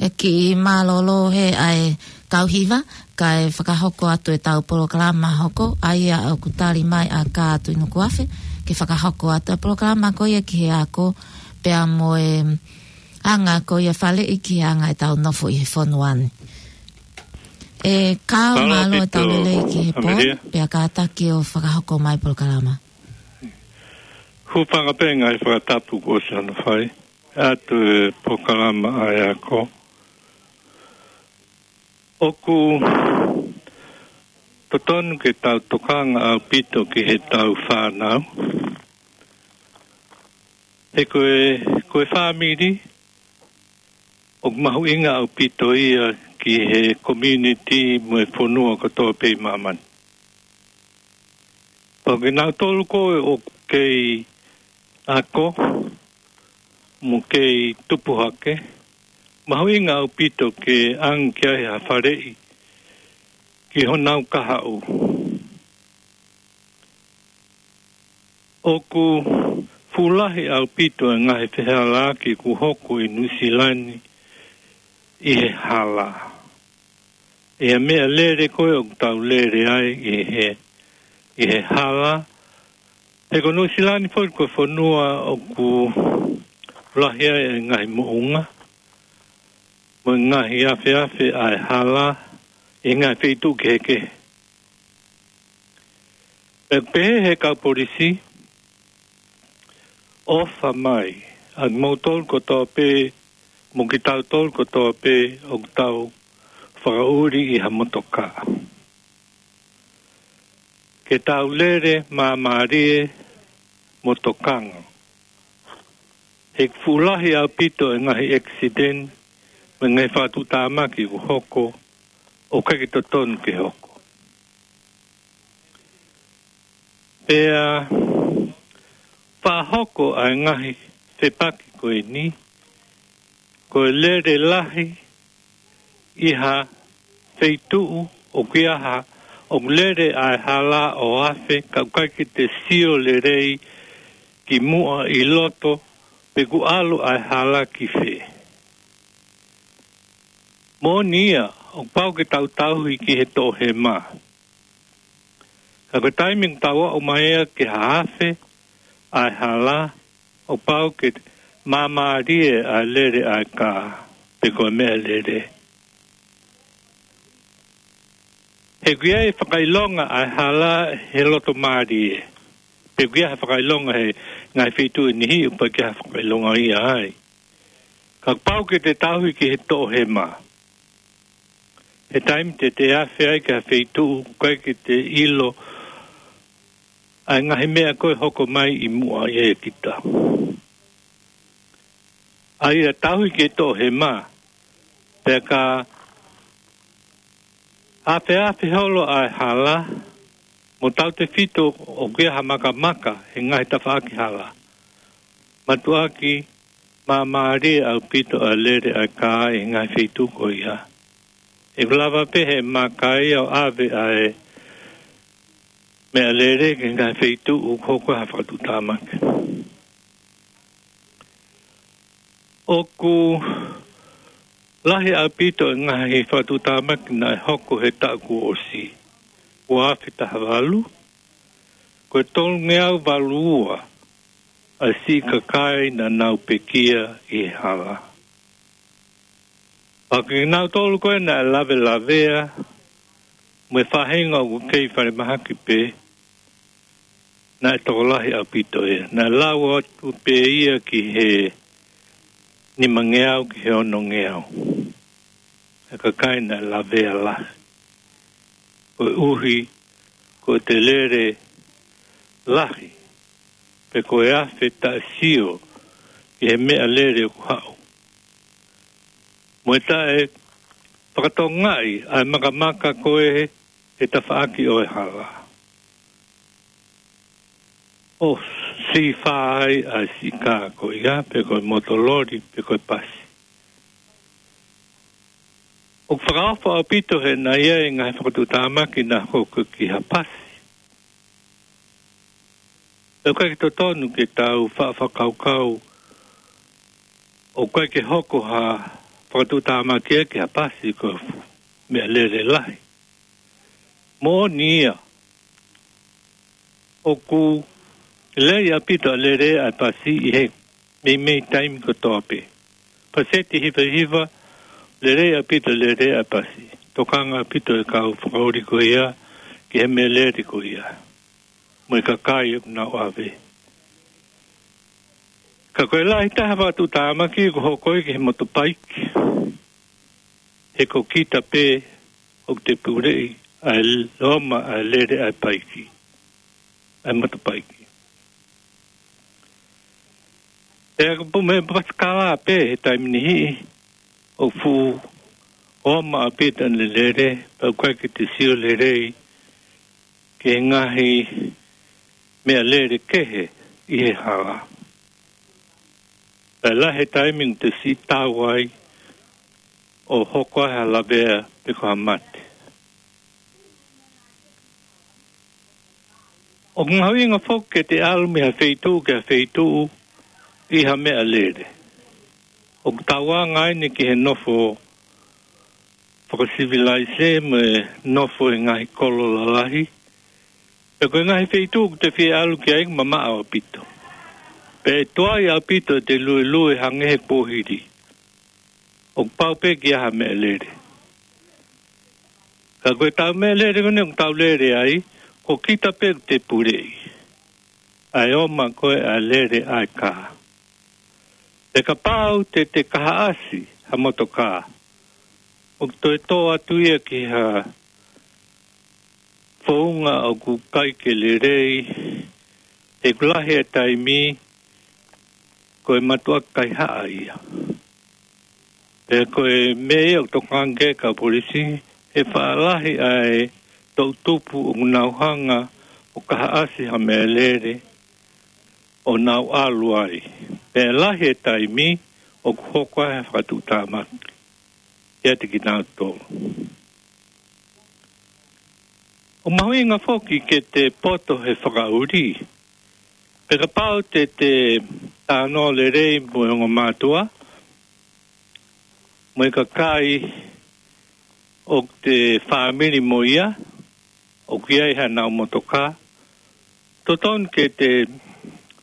ʻE kiʻi mālōlō he ʻa e kau hiva, kae fakahoko atu ʻetau polokalama hoko, ʻa ia ʻoku tali mai ʻa Kātui Nukuafe, ke fakahoko atu e polokalama ko ia ki he ako, pea mo e anga ko ia faleʻi ki he anga ʻetau nofo ʻi he fonua ni. ʻE Kau, mālō ʻetau lelei ki he pō, pea kātaki ʻo fakahoko mai polokalama. Hūfanga pē ngaahi fakatapu kuo ʻosi hono fai atu e polokalama ʻa e ako. ʻOku totonu ke tau tokanga ʻaupito ki heʻetau fānau. He ko e, ko e fāmili, ʻoku mahuʻinga ʻaupito ia ki he community mo e fonua kotoa pē ʻi māmani. Pea ko kinautolu ko ē ʻoku kei ako, mo kei tupu hake, mahuʻinga ʻaupito ke ʻange ki ai ha faleʻi ki honau kahaʻu. ʻOku fuʻu lahi ʻaupito e ngaahi fehālaaki kuo hoko ʻi Nuʻusila ni ʻi he hala. ʻI he meʻalele ko ē ʻoku tau lele ai ʻi he, ʻi he hala. He ko Nuʻusila ni foki ko e fonua ʻoku lahi ai e ngaahi moʻunga, mo e ngaahi afeafe ʻa e hala ʻi he ngaahi feituʻu kehekehe. ʻE pehē he kau polisi, ʻofa mai, ʻa kimoutolu kotoa pē, mo kitautolu kotoa pē, ʻoku tau fakaʻuli ʻi ha motoka, ke tau lele māmālie mo tokanga. He fuʻu lahi ʻaupito e ngaahi accident, mo e ngaahi fakatuʻutāmaki kuo hoko, ʻoku ʻikai ke totonu ke hoko. Pea fakahoko ʻa e ngaahi fepaki ko eni, ko e lele lahi ʻi ha feituʻu ʻoku ʻi ai ha, ʻoku lele ʻa e hala ʻo afe, ka ʻoku ʻikai ke te sio lelei ki muʻa ʻi loto, pe kuo ʻalu ʻa e hala ki fē. Moʻoni ia, ʻoku pau ke tau tauhi ki he toʻohema. Ka ko e taimi ʻoku tau aʻu mai ai ki ha afe ʻa e hala, ʻoku pau ke māmālie ʻa e lele ʻa e kā, pe ko e meʻalele. He ʻoku ʻi ai e fakaʻilonga ʻa e hala he loto mālie. Pe ʻoku ʻi ai ha fakaʻilonga he ngaahi feituʻu ʻe niʻihi ʻoku ʻikai ke ʻi ai ha fakaʻilonga ia ai. Ka pau ke te tauhi ki he toʻohema. He taimi te te afe ai ki ha feituʻu, ʻoku ʻikai ke te ʻilo ʻa e ngaahi meʻa ko ē ʻe hoko mai ʻi muʻa ʻiate kita. ʻA ia tauhi ki he toʻohema, pea ka afeafe holo ʻa e hala, mo tautefito ʻoku ʻi ai ha makamaka he ngaahi tafaʻaki hala, mātuʻaki māmālie ʻaupito ʻa e lele ʻa e kā ʻi he ngaahi feituʻu ko ia. ʻE lava pē he maka ia ʻo ʻave ʻa e meʻalele ki he ngaahi feituʻu ʻoku hoko ai ha fakatuʻutāmaki. ʻOku lahi ʻaupito e ngaahi fakatuʻutāmaki naʻe hoko he taʻu kuo ʻosi, ua afe taha valu, ko e tolungeau valu ua ʻa e siʻi kakai naʻa nau pekia ʻi he hala. Pea ko kinautolu ko ē naʻe lavelavea, mo e faʻahinga ʻoku kei falemahaki pē, naʻe tokolahi ʻaupito ia. Naʻe lau atu pē ia ki he nimangeau ki he onongeau. E kakai naʻe lavea lahi. Koeʻuhi, ko e lele lahi, pe ko e afe taʻe sio ki he meʻalele ʻoku haʻu. Mo e taʻe fakatokangaʻi ʻa e makamaka ko ē he tafaʻaki ʻo e hala. ʻO sifā ai ʻa e siʻi kā ko ia, pe ko e motololi, pe ko e pasi. ʻOku fakaofo ʻaupito he naʻe ʻi ai e ngaahi fakatuʻutāmaki naʻe hoko ki ha pasi. ʻOku ʻikai ke totonu ke tau faʻa fakakaukau ʻoku ʻikai ke hoko ha fakatuʻutāmaki ia ki ha pasi ko e fuʻu meʻalele lahi. Moʻoni ia, ʻoku lelei ʻaupito ʻa e lele ʻa e pasi ʻi he meimei taimi kotoa pē. Paseti hivahiva, lelei ʻaupito e lele ʻa e pasi. Tokanga ʻaupito e kau fakaʻuli ko ia ki he meʻalele ko ia, mo e kakai ʻoku nau ʻave. Ka ko e lahi taha e fakatuʻutāmaki ʻoku hoko ia ki he motopaiki. He ko kita pē ʻoku te puleʻi ʻa e loma ʻa e lele ʻa e paiki, ʻa e motopaiki. Pea ko e meʻa pasikala pē he taimi niʻihi, ʻoku fuʻu oma ʻaupito ʻene lele, pea ʻoku ʻikai ke te sio lelei ki he ngaahi meʻalele kehe ʻi he hala. Pea lahi e taimi ʻoku te siʻi tau ai ʻo hoko ai ha lavea pe ko ha mate. ʻOku mahuʻinga foki ke te ʻalu mei ha feituʻu ki ha feituʻu ʻi ha meʻalele. ʻOku tauanga eni ki he nofo fakasivilaise mo e nofo ʻi he ngaahi kolo lalahi. Pea ko e ngaahi feituʻu ʻoku te fie ʻalu ki ai ʻoku mamaʻo ʻaupito. Pea ʻe tuai ʻaupito ʻete luelue hangē he kuohili. ʻOku pau pē ke ʻi ai ha meʻalele. Ka ko e tau meʻalele ko eni ʻoku tau lele ai, ko kita pē ʻoku te puleʻi. ʻA e ō mai ko ē ʻa e lele ʻa e kā. Pea kapau te te kahaʻasi ha motokā, ʻoku toe tō atu ia ki ha founga ʻoku ʻikai ke lelei, he ʻoku lahi e taimi ko e matuʻaki kaihaʻa ia. Pea ko e meʻa ia ʻoku tokanga ki ai e kau polisi, he faʻa lahi ʻa e toʻutupu ʻoku nau hanga ʻo kahaʻasi ha meʻalele ʻo nau ʻalu ai. Pea lahi e taimi ʻoku hoko ai ha fakatuʻutāmaki kiate kinautolu. ʻOku mahuʻinga foki ke te poto he fakaʻuli. Pea kapau te te talanoa lelei mo e ongo mātuʻa, mo e kakai ʻoku te fāmili mo ia, ʻoku ʻi ai haʻanau motokā, totonu ke te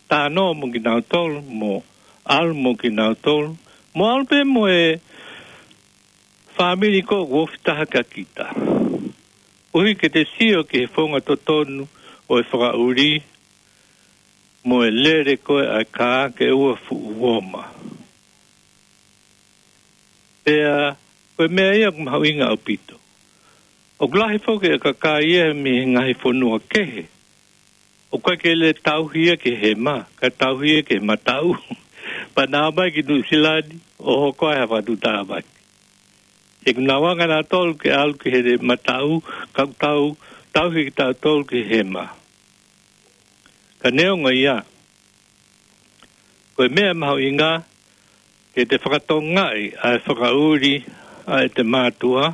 talanoa mo kinautolu, mo ʻalu mo kinautolu, mo ʻalu pē mo e fāmili ko ē ʻoku ofi taha kia kita. Koeʻuhi ke te sio ki he founga totonu ʻo e fakaʻuli mo e lele ko ē ʻa e kā ke ʻoua fuʻu ō mai. Pea ko e meʻa ia ʻoku mahuʻinga ʻaupito. ʻOku lahi foki e kakai ia mei he ngaahi fonua kehe ʻoku ʻikai ke lele tauhi ia ki he hema, kae tauhi ia ki he mataʻu. Pea nau ō mai ki Nuʻusila ni ʻo hoko ai ha fakatuʻutāmaki. He ʻoku nau anga nautolu ke ʻalu ki he mataʻu, ka ʻoku tau tauhi kitautolu ki he hema. Ka neongo ia, ko e meʻa mahuʻinga ke te fakatokangaʻi ʻa e fakaʻuli ʻa ʻete mātuʻa,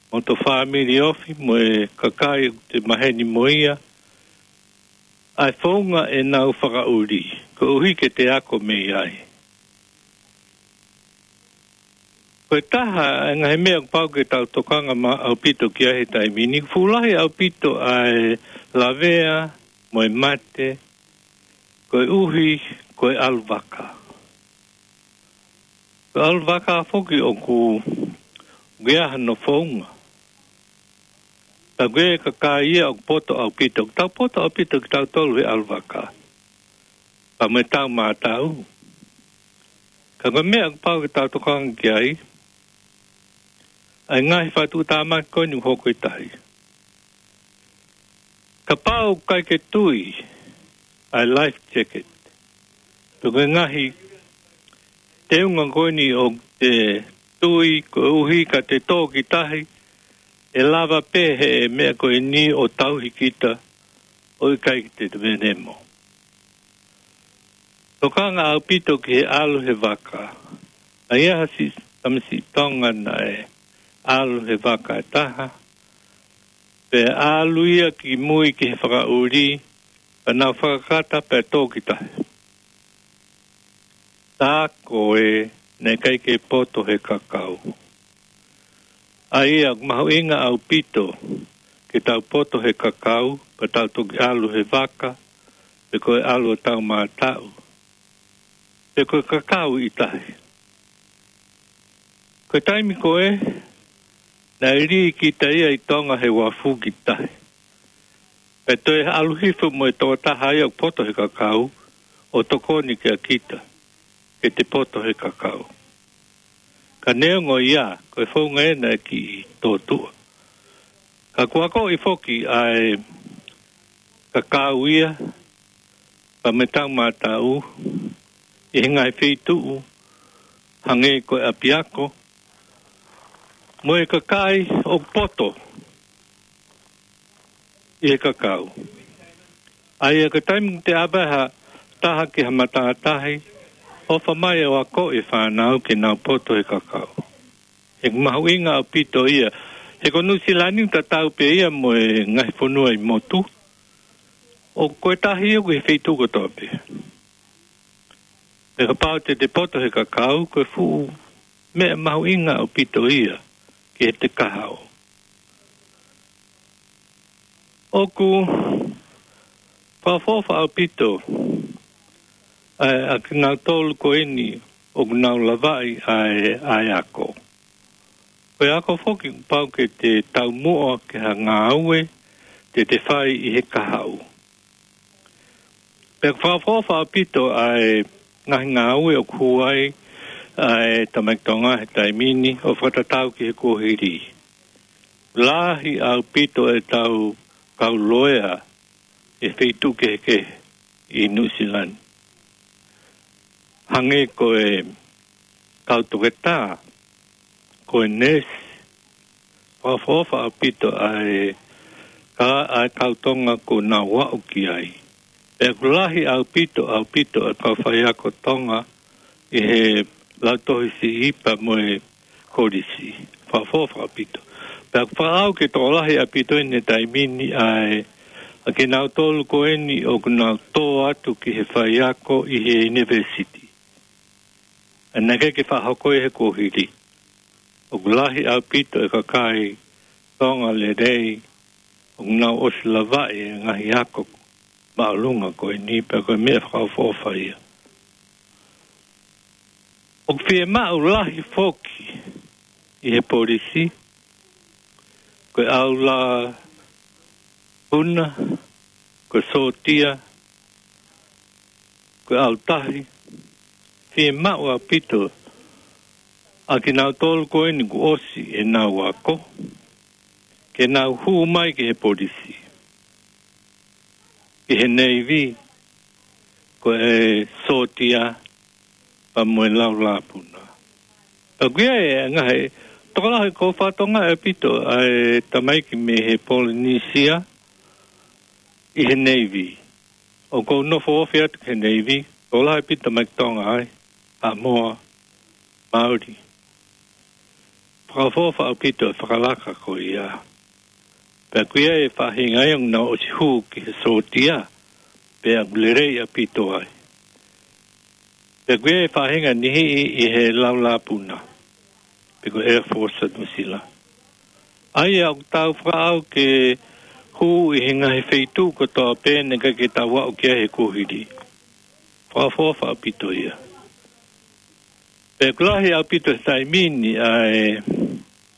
mo hoto fāmili ofi, mo e kakai ʻoku te maheni mo ia, ʻa e founga ʻenau fakaʻuli, koeʻuhi ke te ako mei ai. Ko e taha e ngaahi meʻa ʻoku pau ke tau tokanga maʻu ʻaupito ki ai he taimi ni, fuʻu lahi ʻaupito ʻa e lavea mo e mate, koeʻuhi ko e ʻalu vaka. Ko e ʻalu vaka foki ʻoku, ʻoku ʻi ai hano founga. Ka ko e kakai ia ʻoku poto ʻaupito, ʻoku tau poto ʻaupito kitautolu he ʻalu vaka. Pea mo e tau mātaʻu. Ka ko e meʻa ʻoku pau ke tau tokanga ki ai, ʻa e ngaahi fakatuʻutāmaki ko eni ʻoku hoko ʻi tahi. Kapau ʻoku ʻikai ke tui ʻa e life jacket, pe ko e ngaahi teunga ko eni ʻoku te tui koeʻuhi ka te tō ki tahi, ʻe lava pē he meʻa ko eni ʻo tauhi kita ʻo ʻikai ke te te venemo. Tokanga ʻaupito ki he ʻalu he vaka. ʻA ia ha siʻi tamasiʻi Tonga naʻe ʻalu he vaka ʻe taha, pea ʻalu ia ki mui ki he fakaʻuli, pea nau fakakata pea tō ki tahi. Tā ko ē naʻe ʻikai ke poto he kakau. ʻA ia ʻoku mahuʻinga ʻaupito ke tau poto he kakau, pea tau toki ʻalu he vaka, pe ko e ʻalu ʻo tau mātaʻu, pe ko e kakau ʻi tahi. Ko e taimi ko ē, naʻe lī kita ia ʻi Tonga he uafu ki tahi. Pea toe ʻalu hifo mo e tokotaha ia ʻoku poto he kakau, ʻo tokoni kia kita, ke te poto he kakau. Ka neongo ia, ko e founga ē naʻe kiʻi tōtuʻa. Ka kuo akoʻi foki ʻa e kakau ia, pea mo e tau mātaʻu, ʻi he ngaahi feituʻu, hangē ko e ʻapiako, mo e kakai ʻoku poto ʻi he kakau. ʻA ia ko e taimi te ʻave ha taha ki ha matātahi, ʻofa mai ʻo akoʻi e fānau ke nau poto he kakau. He ʻoku mahuʻinga ʻaupito ia. He ko Nuʻusila ni ʻoku tatau pē ia mo e ngaahi fonua ʻi motu. ʻOku ʻi ai e tahi ʻoku ʻi he feituʻu kotoa pē. Pea kapau te te poto he kakau, ko e fuʻu meʻa mahuʻinga ʻaupito ia ki heʻete kahaʻu. ʻOku fakaʻofoʻofa ʻaupito ʻa e, ʻa kinautolu ko eni ʻoku nau lavaʻi ʻa e, ʻa e ako. Ko e ako foki kuo pau ke te taumuʻa ki ha ngāue te te fai ʻi he kahaʻu. Pea ʻoku fakaʻofoʻofa ʻaupito ʻa e ngaahi ngāue ʻoku hū ai ʻa e tamaiki Tonga he taimi ni ʻo fakatatau ki he kuohili. Lahi ʻaupito ʻetau kau loea ʻi he feituʻu kehekehe ʻi Nuʻusila ni. Hangē ko e kau toketā, ko e neesi, fakaʻofoʻofa ʻaupito ʻa e, ka, ʻa e kau Tonga kuo nau aʻu ki ai. Pea ʻoku lahi ʻaupito, ʻaupito ʻa e kau faiako Tonga ʻi he Lautohi Siʻi pea mo e Kolisi. Fakaʻofoʻofa ʻaupito. Pea ʻoku fakaʻau ke tokolahi ʻaupito ʻi he taimi ni ʻa e, ʻa kinautolu ko eni ʻoku nau tō atu ki he faiako ʻi he ʻunivēsiti. ʻA ia naʻe ʻikai ke fakahoko ia he kuohili. ʻOku lahi ʻaupito e kakai Tonga lelei ʻoku nau ʻosi lavaʻi e ngaahi ako māʻolunga ko eni, pea ko e meʻa fakaʻofoʻofa ia. ʻOku fiemaʻu lahi foki ʻi he polisi, ko e ʻalu puna, ko e sōtia, ko e ʻalu tahi, fiemaʻu ʻaupito ʻa kinautolu ko eni kuo ʻosi ʻenau ako, ke nau hū mai ki he polisi, ki he neivi, ko e sōtia, pea mo e laulāpuna. Pea ʻoku ʻi ai e ngaahi, tokolahi ʻoku fakatonga ʻaupito ʻa e tamaiki mei he Polinisia ʻi he neivi. ʻOku ou nofo ofi atu ki he neivi, tokolahi ʻaupito tamaiki Tonga ai, Haʻamoa, Mauli. Fakaʻofoʻofa ʻaupito e fakalaka ko ia. Pea ʻoku ʻi ai e faʻahinga ia ʻoku nau ʻosi hū ki he sōtia, pea ʻoku lelei ʻaupito ai. Pea ʻoku ʻi ai e faʻahinga niʻihi ʻi he laulāpuna, pe ko e Air Force ʻa Nuʻusila. ʻA ia ʻoku tau fakaʻau ke hū ʻi he ngaahi feituʻu kotoa pē naʻe ʻikai ke tau aʻu ki ai he kuohili. Fakaʻofoʻofa ʻaupito ia. Pea ʻoku lahi ʻaupito he taimi ni ʻa e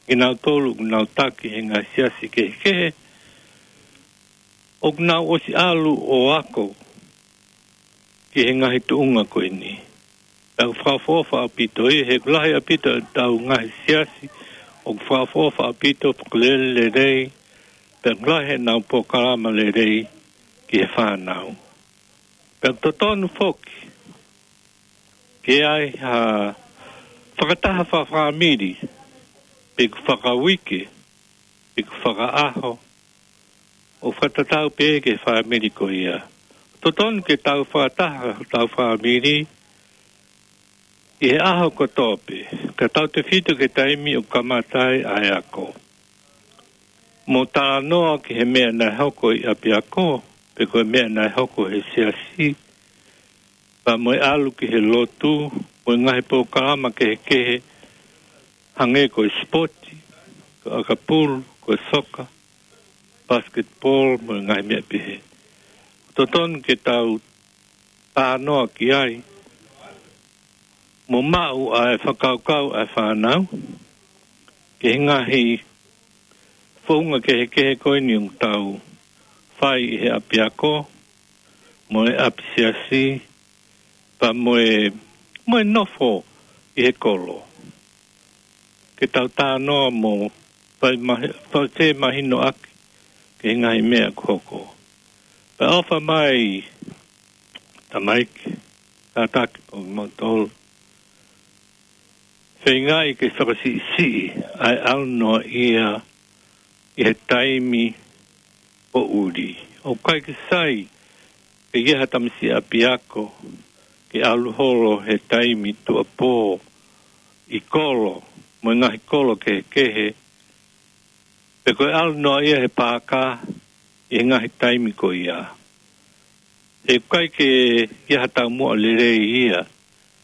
kinautolu ʻoku nau taki he ngaahi siasi kehekehe, ʻoku nau ʻosi ʻalu ʻo ako ki he ngaahi tuʻunga ko eni. Pea ʻoku fakaʻofoʻofa ʻaupito ia, he ʻoku lahi ʻaupito ʻetau ngaahi siasi ʻoku fakaʻofoʻofa ʻaupito, fakalelelei, pea ʻoku lahi ʻenau polokalama lelei ki he fānau. Pea ʻoku totonu foki ke ʻi ai ha fakataha fakafāmili, pe ʻoku fakauike, pe ʻoku fakaʻaho, ʻo fakatatau pē ki he fāmili ko ia. Totonu ke tau fakataha hotau fāmili ʻi he ʻaho kotoa pē, ka tautefito ki he taimi ʻoku kamata ai ʻa e ako. Mo talanoa ki he meʻa naʻe hoko ʻi ʻapiako, pe ko e meʻa naʻe hoko he siasi, pea mo e ʻalu ki he lotu, mo e ngaahi polokalama kehekehe, hangē ko e sipoti, ko e ʻakapulu, ko e soka, basketball, mo e ngaahi meʻa pehē. Totonu ke tau talanoa ki ai, mo maʻu ʻa e fakakaukau ʻa e fānau, ki he ngaahi founga kehekehe ko eni ʻoku tau fai ʻi he ʻapiako, mo e ʻapisiasi, pea mo e, mo e nofo ʻi he kolo. Ke tau talanoa mo fai mahi-, fai mahino ʻaki ki he ngaahi meʻa ʻoku hoko. Pea ʻofa mai, tamaiki, kātaki pē ʻoku mau tolu. Feingaʻi ke fakasiʻisiʻi ʻa e ʻalu noa ia ʻi he taimi poʻuli. ʻOku ʻikai ke sai ke ʻi ai ha tamasiʻi ʻapiako ke ʻalu holo he taimi tuʻuapō ʻi kolo, mo e ngaahi kolo kehekehe, pe ko e ʻalu noa ia he paaka ʻi he ngaahi taimi ko ia. ʻE ʻikai ke ʻi ai ha taumuʻa lelei ia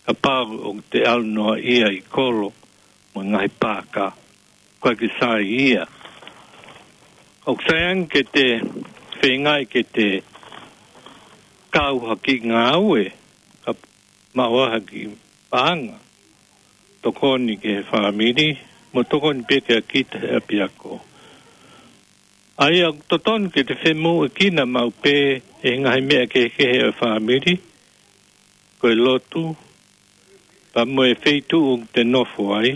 kapau ʻoku te ʻalu noa ia ʻi kolo mo e ngaahi paaka. ʻIkai ke sai ia. ʻOku sai ange ke te feingaʻi ke te kau ha kiʻi ngāue, ka maʻu ai ha kiʻi paʻanga, tokoni ki he fāmili, mo tokoni pē kia kita he ʻapiako. ʻA ia ʻoku totonu ke te femoʻuekina maʻu pē ʻi he ngaahi meʻa kehekehe ʻo e fāmili, ko e lotu, pea mo e feituʻu ʻoku te nofo ai,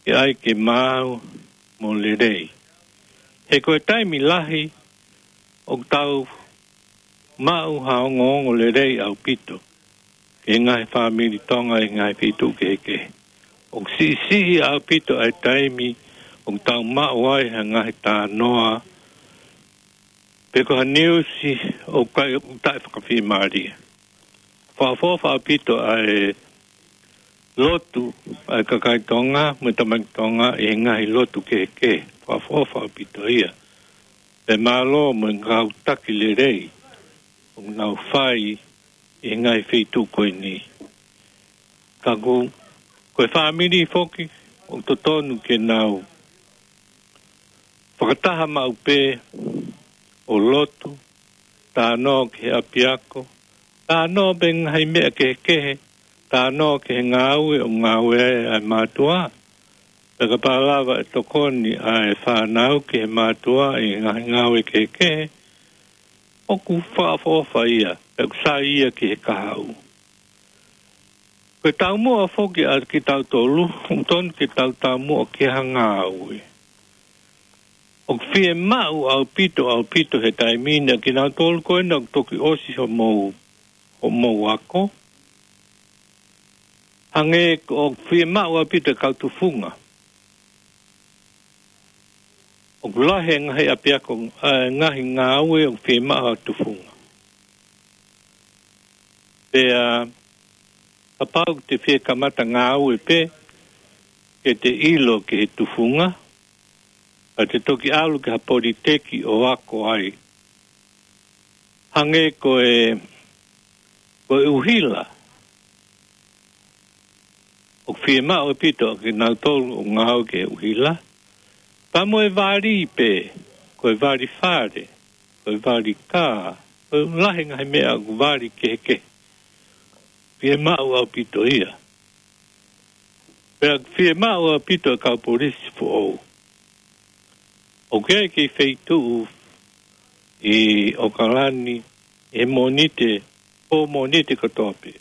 ke ʻai ke maau mo lelei. He ko e taimi lahi ʻoku tau maʻu ha ongoongo lelei ʻaupito ki he ngaahi fāmili Tonga ʻi he ngaahi feituʻu kehekehe. ʻOku siʻisiʻi ʻaupito ʻa e taimi ʻoku tau maʻu ai ha ngaahi talanoa pe ko ha niusi ʻoku ʻikai, ʻoku taʻefakafiemālie. Fakaʻofoʻofa ʻaupito ʻa e lotu ʻa e kakai Tonga mo e tamaiki Tonga ʻi he ngaahi lotu kehekehe. Fakaʻofoʻofa ʻaupito ia. Pea mālō mo e kau taki lelei ʻoku nau fai ʻi he ngaahi feituʻu ko eni. Ka ko, ko e fāmili foki ʻoku totonu ke nau fakataha maʻu pē ʻo lotu, talanoa ki he ʻapiako, talanoa pē ngaahi meʻa kehekehe, talanoa ki he ngāue ʻoku ngāue ai ʻa e mātuʻa. Pea kapau lava ʻe tokoni ʻa e fānau ki he mātuʻa ʻi he ngaahi ngāue kehekehe, ʻoku fakaʻofoʻofa ia, pea ʻoku sai ia ki he kahaʻu. Ko e taumuʻa foki ʻa kitautolu, ʻoku totonu ke tau taumuʻa ki ha ngāue. ʻOku fiemaʻu ʻaupito, ʻaupito he taimi ni ʻa kinautolu ko ena ʻoku toki ʻosi homou, homou ako. Hangē ko ʻoku fiemaʻu ʻaupito e kau tufunga. ʻOku lahi e ngaahi ʻapiako, ʻa e ngaahi ngāue ʻoku fiemaʻu ha tufunga. Pea kapau te fie kamata ngāue pē, ke te ʻilo ki he tufunga, ka te toki ʻalu ki ha politeki ʻo ako ai. Hangē ko e, ko e ʻuhila. ʻOku fiemaʻu ʻaupito ʻa kinautolu ʻoku ngāue ki he ʻuhila. Pea mo e vali pē, ko e vali fale, ko e vali kā, ko e lahi ngaahi meʻa ʻoku vali kehekehe. Fiemaʻu ʻaupito ia. Pea fiemaʻu ʻaupito e kau polisi foʻou. ʻOku ʻi ai e kiʻi feituʻu ʻi ʻOkalani, he Mōnite, pō Mōnite kotoa pē.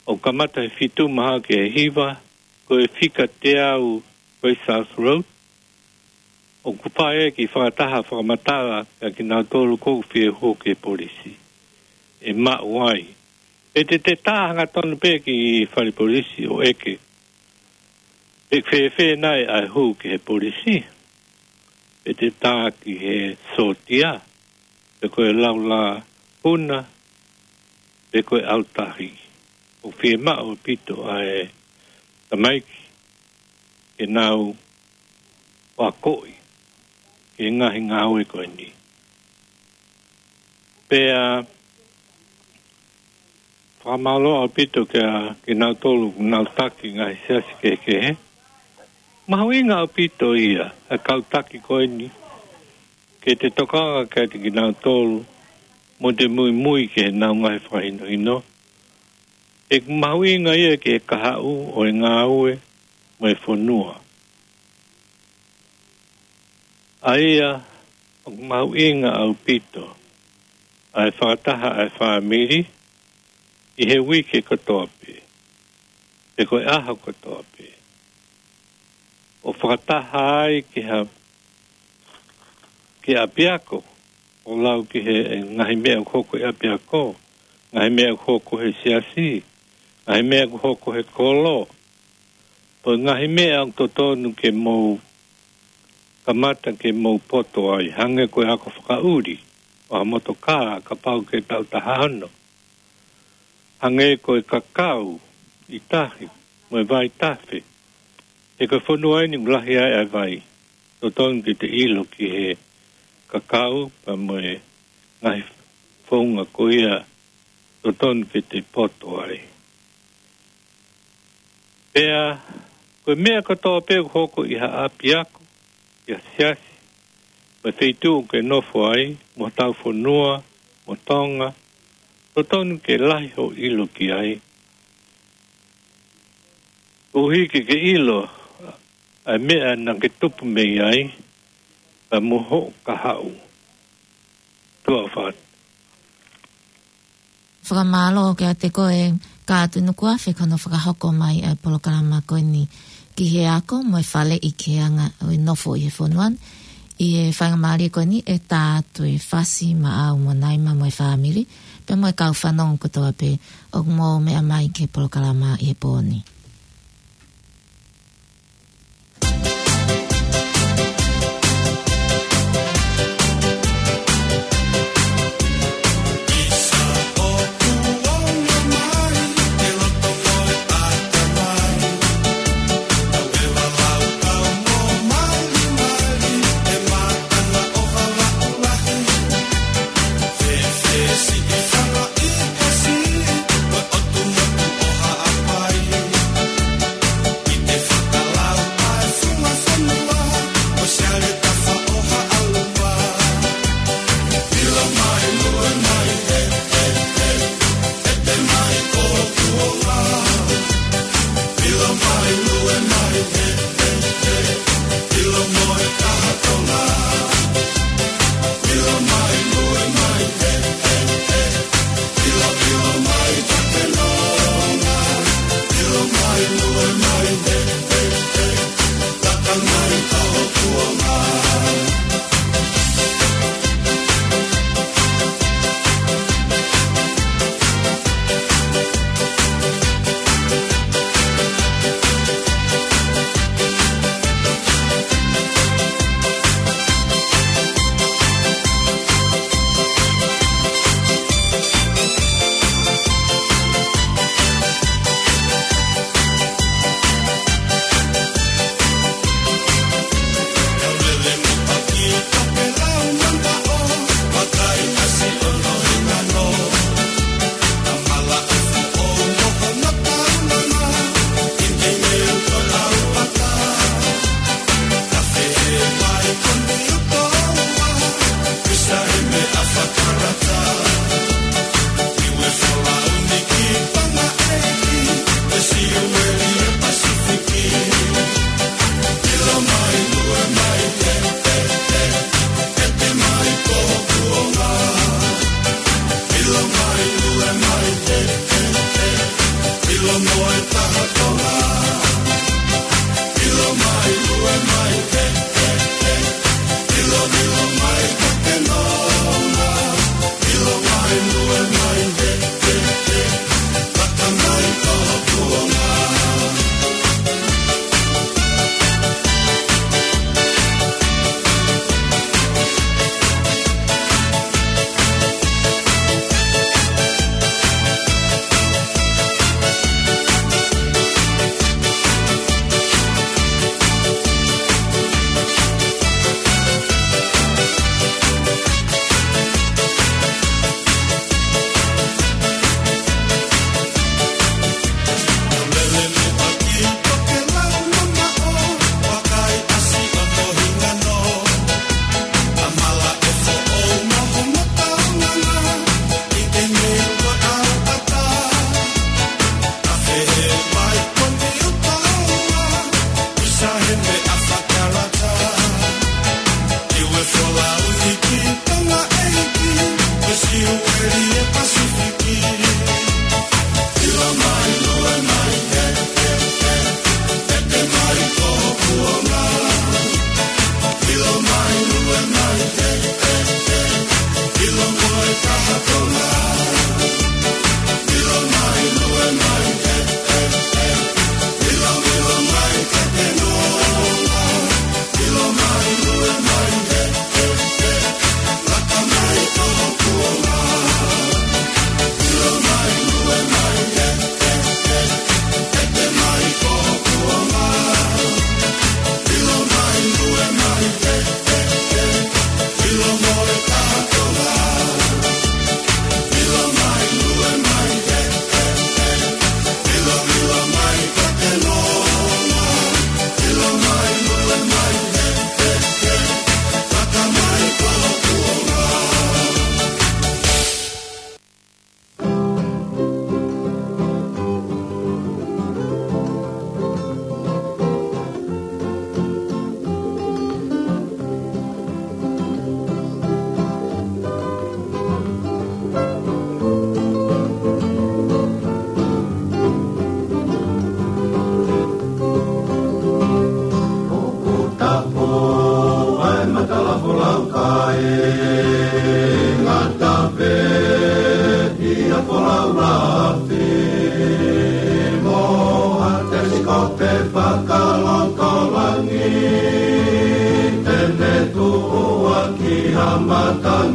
ʻOku kamata he fitu maha ki he hiva, ko e fika teau ko e South Road. ʻOku fai e kiʻi fakataha fakamatala kia kinautolu ʻoku fie hū ki he polisi. ʻE maʻu ai. Pe te te tā hangatonu pē ki fale polisi ʻo ʻeke pe fēfē nai ʻa e hū ki he polisi. Pe te tā ki he sōtia, pe ko e laulā huna, pe ko e ʻautahi. ʻOku fiemaʻu ʻaupito ʻa e tamaiki ke nau akoʻi ki he ngaahi ngāue ko eni. Pea fakamālō ʻaupito kia kinautolu ʻoku nau taki ngaahi siasi kehekehe. Mahuʻinga ʻaupito ia ʻa e kau taki ko eni ke te tokanga kiate kinautolu mo te muimui ki heʻenau ngaahi fakahinohino. ʻOku mahuʻinga ia ki he kahaʻu ʻo e ngāue mo e fonua. ʻA ia ʻoku mahuʻinga ʻaupito ʻa e fakataha ʻa e fāmili ʻi he uike kotoa pē, pe ko e ʻaho kotoa pē. ʻO fakataha ai ki ha, ki ʻapiako, ʻo lau ki he ngaahi meʻa ʻoku hoko he ʻapiako, ngaahi meʻa ʻoku hoko he siasi, ngaahi meʻa ʻoku hoko he kolo, pe ngaahi meʻa ʻoku totonu ke mou kamata ke mou poto ai, hangē ko e ako fakaʻuli ʻo ha motokā kapau ke tau taha ono. Hangē ko e kakau ʻi tahi mo e vai tafe. He ko e fonua eni ʻoku lahi ai ʻa e vai. Totonu ke te ʻilo ki he kakau pea mo e ngaahi founga ko ia totonu ke te poto ai. Pea, ko e meʻa kotoa pē ʻoku hoko ʻi ha ʻapiako, ʻi ha siasi, mo e feituʻu ʻoku ke nofo ai, mo hotau fonua, mo Tonga, totonu ke lahi hoʻo ʻilo ki ai. Koeʻuhi ke ke ʻilo ʻa e meʻa naʻa ke tupu mei ai, pea mo hoʻo kahaʻu. Tuʻa ʻofa atu. Fakamālō kiate koe Kātunu Kuafe, ko hono fakahoko mai ʻa e polokalama ko eni ki he ako mo e faleʻi ki he anga ʻo e nofo ʻi he fonua ni. ʻI he faingamālie ko eni ʻe tā atu e Fasi, Maʻau mo Naima mo e fāmili, pea mo e kau fanongo kotoa pē ʻoku mou meʻa mai ki he polokalama ʻi he pō ni.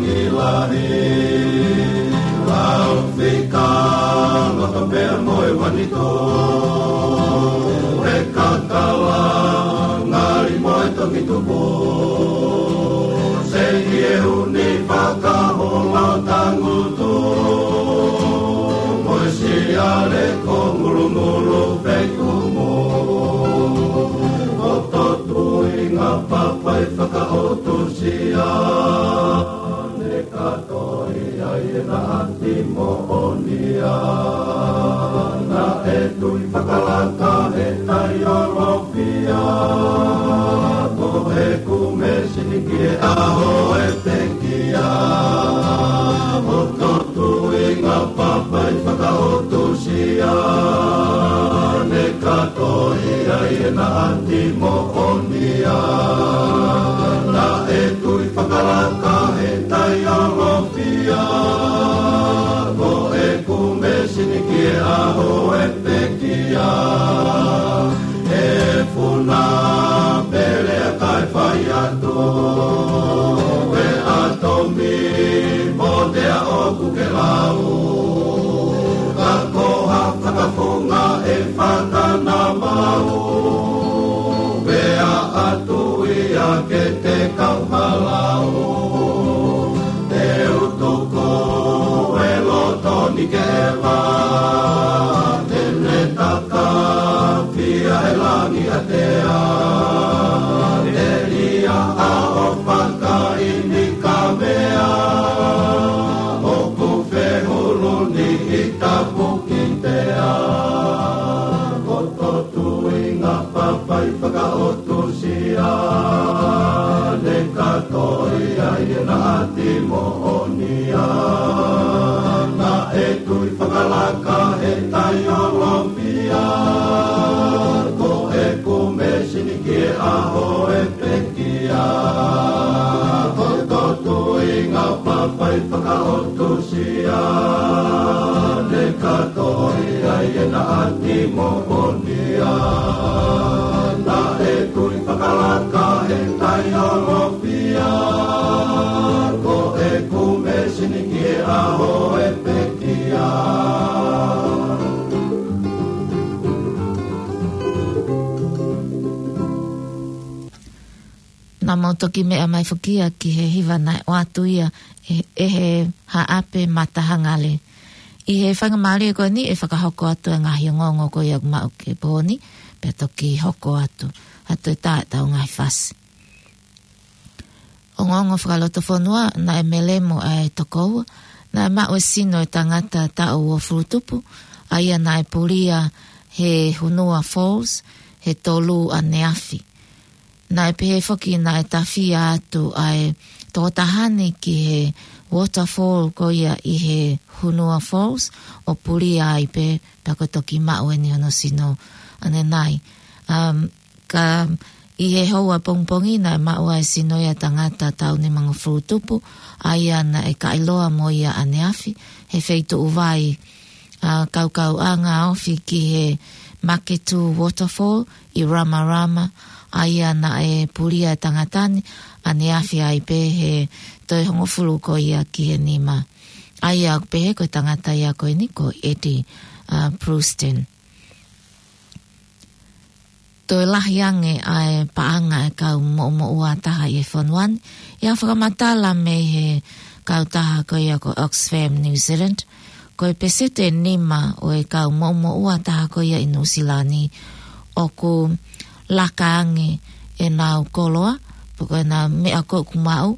Lahi, lau fika, loto pea mo e vanito, e kakala, ngali mo e toki tupu, sei ʻi he uni fakahola tangutu, mo e siale ko ngulungulu fekumu, ʻo totuinga papai fakaʻotusia. Ne kātoi ai ʻena ʻati moʻonia. Naʻe tui fakalaka he taiolofia. Ko ʻeku mēsini ki he ʻaho ʻe pekia. Ko totuinga papai fakaʻotusia. Ne kātoi ai ʻena ʻati moʻonia. Naʻe tui fakalaka he taiolofia. Ko ʻeku mēsini ki he ʻaho ʻe pekia. ʻE funa pele a kai fai atu. ʻE ʻatomi mo te a ʻoku ke lau. Ka ko ha fakafunga ʻe fakanamau. Pea ʻatu ia ke te kau malau. Te u tuku e loto ni ke va. Te ne taka fia e langi a te a. Te ia a o fakaini ka mea. ʻOku fehulu ni i tapu ki te a. Ko totuinga papai fakaʻotusia. Ne kātoi ai ʻena ʻati moʻonia. Naʻe tui fakalaka he taiolofia. Ko ʻeku mēsini ki he ʻaho ʻe pekia. Ko totuinga papai fakaʻotusia. Ne kātoi ai ʻena ʻati moʻonia. Naʻe tui fakalaka he taiolofia. Ko ʻeku mēsini ki he ʻaho ʻe pekia. Naʻa mau toki meʻa mai foki ia ki he hiva naʻe ʻoatu ia ʻe, ʻe he Haʻape Matahangale. ʻI he faingamālie ko eni ʻe fakahoko atu e ngaahi ongoongo ko ia ʻoku maʻu ki he pō ni, pea toki hoko atu, atu e tā ʻetau ngaahi fasi. Ongoongo fakalotofonua, naʻe melemo ʻa e tokoua, naʻe maʻu e sino e tangata taʻu uofulu tupu, ʻa ia naʻe pulia he Hunua Falls, he tolu ʻaneafi. Naʻe pehē foki naʻe tafia atu ʻa e tokotaha ni ki he waterfall ko ia ʻi he Hunua Falls, ʻo pulia ai pē, pea ko e toki maʻu eni hono sino ʻanenai. Um, ka ʻi he houa pongipongi naʻe maʻu ai e sino ia e tangata taʻu nimangofulu tupu, ʻa ia naʻe kaʻiloa mo ia ʻaneafi, he feituʻu vai, ʻa, kaukauʻanga ofi ki he Maketu Waterfall ʻi Ramarama, ʻa ia naʻe pulia e tangata ni ʻaneafi ai pē he toe hongofulu ko ia ki he nima. ʻA ia ʻoku pehē ko e tangata ia ko eni ko Eddie, ʻa, Brewston. Toe lahi ange ʻa e paʻanga e kau moʻumoʻua taha ʻi he fonua ni, ʻi he fakamatala mei he kautaha ko ia ko Oxfam New Zealand, ko e peseti ʻe nima ʻo e kau moʻumoʻua taha ko ia ʻi Nuʻusila ni ʻoku laka ange ʻenau koloa, pe ko ʻenau meʻa ko ē ʻoku maʻu,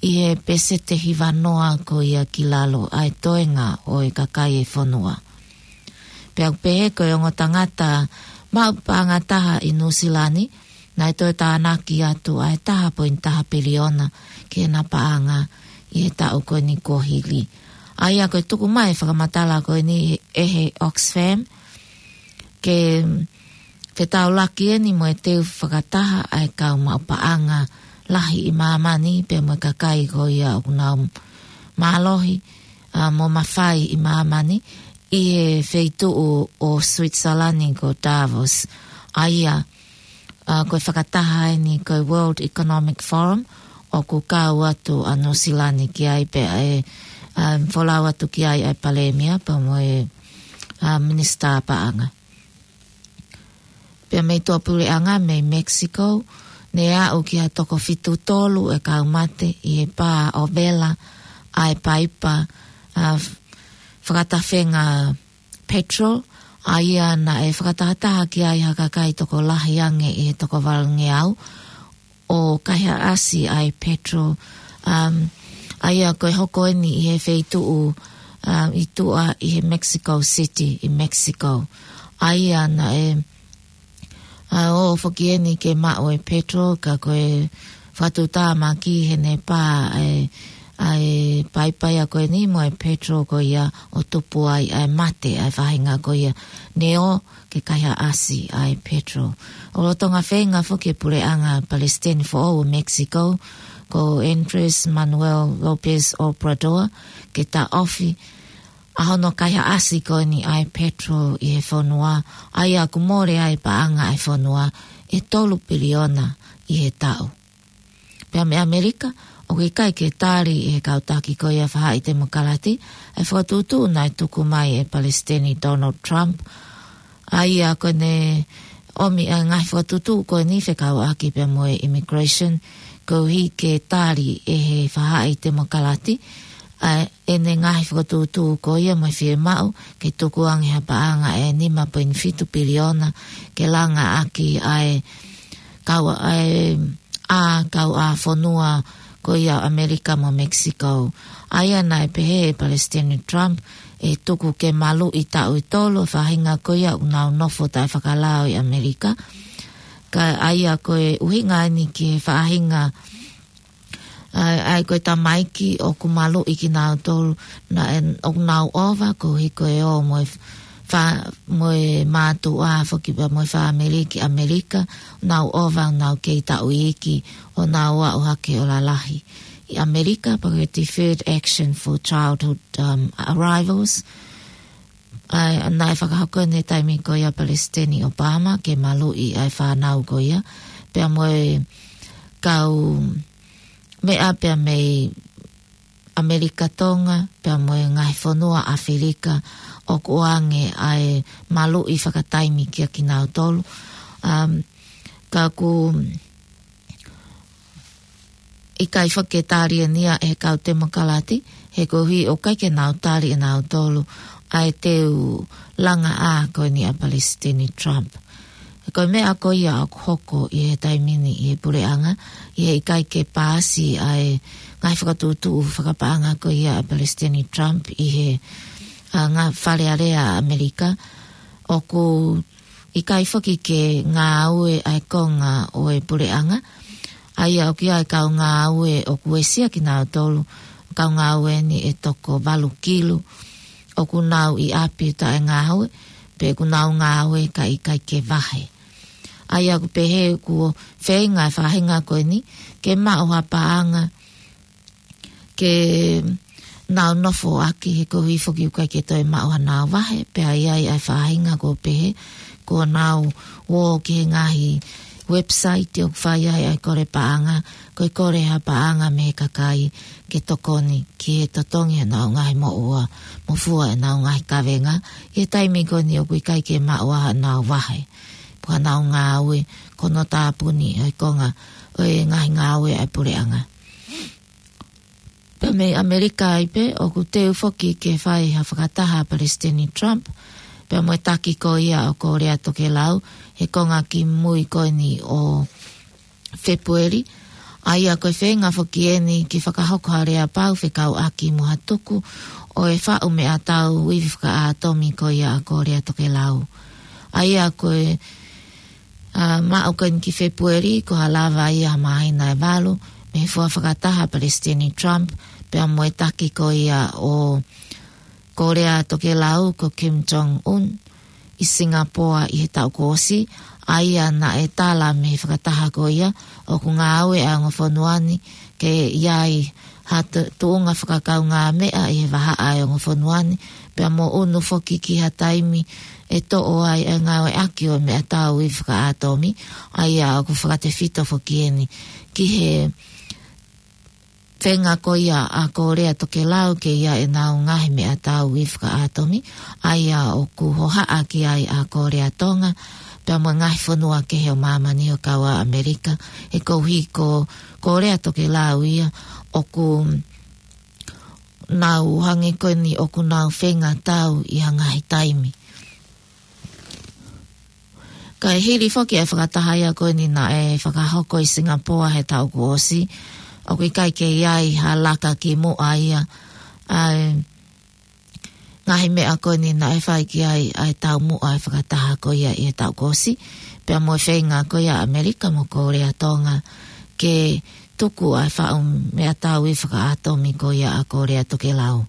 ʻi he peseti ʻe hiva noa ko ia ki lalo ʻa e toenga ʻo e kakai e fonua. Pea ʻoku pehē ko e ongo tangata maʻu paʻanga taha ʻi Nuʻusila ni, naʻe toe tānaki atu ʻa e taha poini taha piliona ki heʻena paʻanga ʻi he taʻu ko eni kuo hili. ʻA ia ko e tuku mai e fakamatala ko eni ʻe he Oxfam, ke, ke taulaki eni mo e teu fakataha ʻa e kau maʻu paʻanga lahi ʻi māmani pea mo e kakai ko ia ʻoku nau mālohi, ʻa, mo mafai ʻi māmani ʻi he feituʻu ʻo Switzerland ko Davos. ʻA ia, ʻa, ko e fakataha eni ko e World Economic Forum, ʻoku kau atu ʻa Nuʻusila ni ki ai pea ʻe, um, folau atu ki ai ʻa e Palēmia pea mo e, um, Minisitā Paʻanga. Pea mei tuʻapuleʻanga mei Mexico, ne aʻu ki ha toko fitu tolu e kau mate ʻi he pā ʻo vela ʻa e paipa, a, f-, fakatafenga petrol, ʻa ia naʻe fakatahataha ki ai ha kakai tokolahi ange ʻi he toko valungeau, ʻo kaihaʻasi ʻa e petrol, um, ʻa ia ko e hoko eni ʻi he feituʻu, um, ʻi tuʻa ʻi he Mexico City, ʻi Mexico. ʻA ia naʻe, a, ʻo foki eni ke maʻu e petrol, ka ko e fakatuʻutāmaki heʻene pā ʻa e, ʻa e paipa ia ko eni mo e petrol ko ia ʻo tupu ai ʻa e mate ʻa e faʻahinga ko ia. Ne ō ke kaihaʻasi ʻa e petrol. ʻO lolotonga feinga foki e puleʻanga palesiteni foʻou ʻo Mexico, ko Andrés Manuel López Obrador, ke taʻofi ʻa hono kaihaʻasi ko eni ʻa e petrol ʻi he fonua, ʻa ia ʻoku mole ai paʻanga ʻa e fonua ʻe tolu piliona ʻi he taʻu. Pea mei ʻAmelika, ʻoku ʻikai ke tali ʻe he kau taki ko ia faʻahi temokalati ʻa e fakatuʻutuʻu naʻe tuku mai ʻe Palesiteni Donald Trump, ʻa ia ko ʻene ʻomi ʻa e ngaahi fakatuʻutuʻu ko eni fekauʻaki pea mo e immigration, koeʻuhi ke tali ʻe he faʻahi temokalati ʻa ʻene ngaahi fakatuʻutuʻu ko ia mo e fiemaʻu ke tukuange ha paʻanga ʻe nima poini fitu piliona ke langa ʻaki ʻa e kau ʻa e ʻa kau ʻa fonua ko ia ʻAmelika mo Mexico. ʻA ia naʻe pehē ʻe Palesiteni Trump ʻe tuku ke maluʻi taʻu ʻe tolu e faʻahinga ko ia ʻoku nau nofo taʻefakalao ʻi ʻAmelika. Ka ʻa ia ko e ʻuhinga eni ki he faʻahinga ʻa e, ʻa e ko e tamaiki ʻoku maluʻi kinautolu naʻe, ʻoku nau ova koeʻuhi ko e ō mo e fa-, mo e mātuʻa foki pea mo e fāmili ki ʻAmelika, nau ova, nau kei taʻu iiki ʻo nau aʻu hake ʻo lalahi ʻi ʻAmelika, pea ko e Deferred Action for Childhood, um, Arrivals. ʻA ia naʻe fakahoko ʻi he taimi ko ia Palesiteni Obama ke maluʻi ʻa e fānau ko ia, pea mo e kau meʻa pea mei ʻAmelika Tonga, pea mo e ngaahi fonua ʻAfilika ʻoku ʻoange ʻa e maluʻi fakataimi kia kinautolu. Um, ka ʻoku ʻikai foki ke tali eni ia ʻe he kau temokalati, he koeʻuhi ʻoku ʻikai ke nau tali ʻenautolu ʻa e teu langa ʻa ko eni ʻa Palesiteni Trump. Ko e meʻa ko ia ʻoku hoko ʻi he taimi ni ʻi he puleʻanga, ʻi he ʻikai ke paasi ʻa e ngaahi fakatuʻutuʻu fakapaʻanga ko ia ʻa Palesiteni Trump ʻi he, a, ngaahi Fale Alea ʻAmelika, ʻoku ʻikai foki ke ngāue ʻa e konga ʻo e puleʻanga. ʻA ia ʻoku ʻi ai e kau ngāue ʻoku uesia kinautolu, kau ngāue eni ʻe toko valu kilu, ʻoku nau ʻi ʻapi taʻe ngāue, pe ʻoku nau ngāue ka ʻikai ke vahe. ʻA ia ʻoku pehē ʻoku feinga e faʻahinga ko eni ke maʻu ha paʻanga ke nau nofo ʻaki, he koeʻuhi foki ʻoku ʻikai ke toe maʻu haʻanau vahe, pea ʻi ai ʻa e faʻahinga ʻoku pehē kuo nau ō ki he ngaahi website ʻoku fai ai ʻa e kole paʻanga, ko e kole ha paʻanga mei he kakai ke tokoni ki he totongi ʻenau ngaahi moʻua mo fua ʻenau ngaahi kavenga, ʻi he taimi ko eni ʻoku ʻikai ke maʻu haʻanau vahe, pe ko haʻanau ngāue, ko hono tāpuni ʻo e konga ʻo e ngaahi ngāue ʻa e puleʻanga. Pea mei ʻAmelika ai pē, ʻoku teu foki ke fai ha fakataha ʻa Palesiteni Trump pea mo e taki ko ia ʻo Kōlea Tokelau he konga kimui ko eni ʻo Fēpueli. ʻA ia ko e feinga foki eni ke fakahoko ha lea pau fekauʻaki mo ha tuku ʻo e faʻu meʻatau ivi fakaʻātomi ko ia ʻa Kōlea Tokelau. ʻA ia ko e, a, maʻu ko eni ki Fēpueli, ko ha lava ia ha māhina ʻe valu mei he fua fakataha ʻa Palesiteni Trump pea mo e taki ko ia ʻo Kōlea Tokelau ko Kim Jong Un ʻi Singapoa ʻi he taʻu kuo ʻosi. ʻA ia naʻe tala mei he fakataha ko ia ʻoku ngāue ʻa e ongo fonua ni ke ʻi ai ha tu-, tuʻunga fakakaungāmeʻa ʻi he vahaʻa ʻa e ongo fonua ni, pea mo ʻunu foki ki ha taimi ʻe toʻo ai e ngāueʻaki ʻo e meʻatau ivi fakaʻātomi, ʻa ia ʻoku fakatefito foki eni ki he feinga ko ia ʻa Kōlea Tokelau ke ʻi ai ʻenau ngaahi meʻatau ivi fakaʻātomi, ʻa ia ʻoku hohaʻa ki ai ʻa Kōlea Tonga, pea mo e ngaahi fonua kehe ʻo māmani ʻo kau ʻa ʻAmelika, he koeʻuhi ko Kōlea Tokelau ia ʻoku nau hangē ko eni ʻoku nau feinga tau ʻi ha ngaahi taimi. Kae hili foki e fakataha ia ko eni naʻe fakahoko ʻi Singapoa he taʻu kuo ʻosi, ʻoku ʻikai ke ʻi ai ha laka ki muʻa ia ʻa e ngaahi meʻa ko eni naʻe fai ki ai ʻa e taumuʻa e fakataha ko ia ʻi he taʻu kuo ʻosi, pea mo e feinga ko ia ʻa ʻAmelika mo Kōlea Tonga ke tuku ʻa e faʻu meʻatau ivi fakaʻātomi ko ia ʻa Kōlea Tokelau.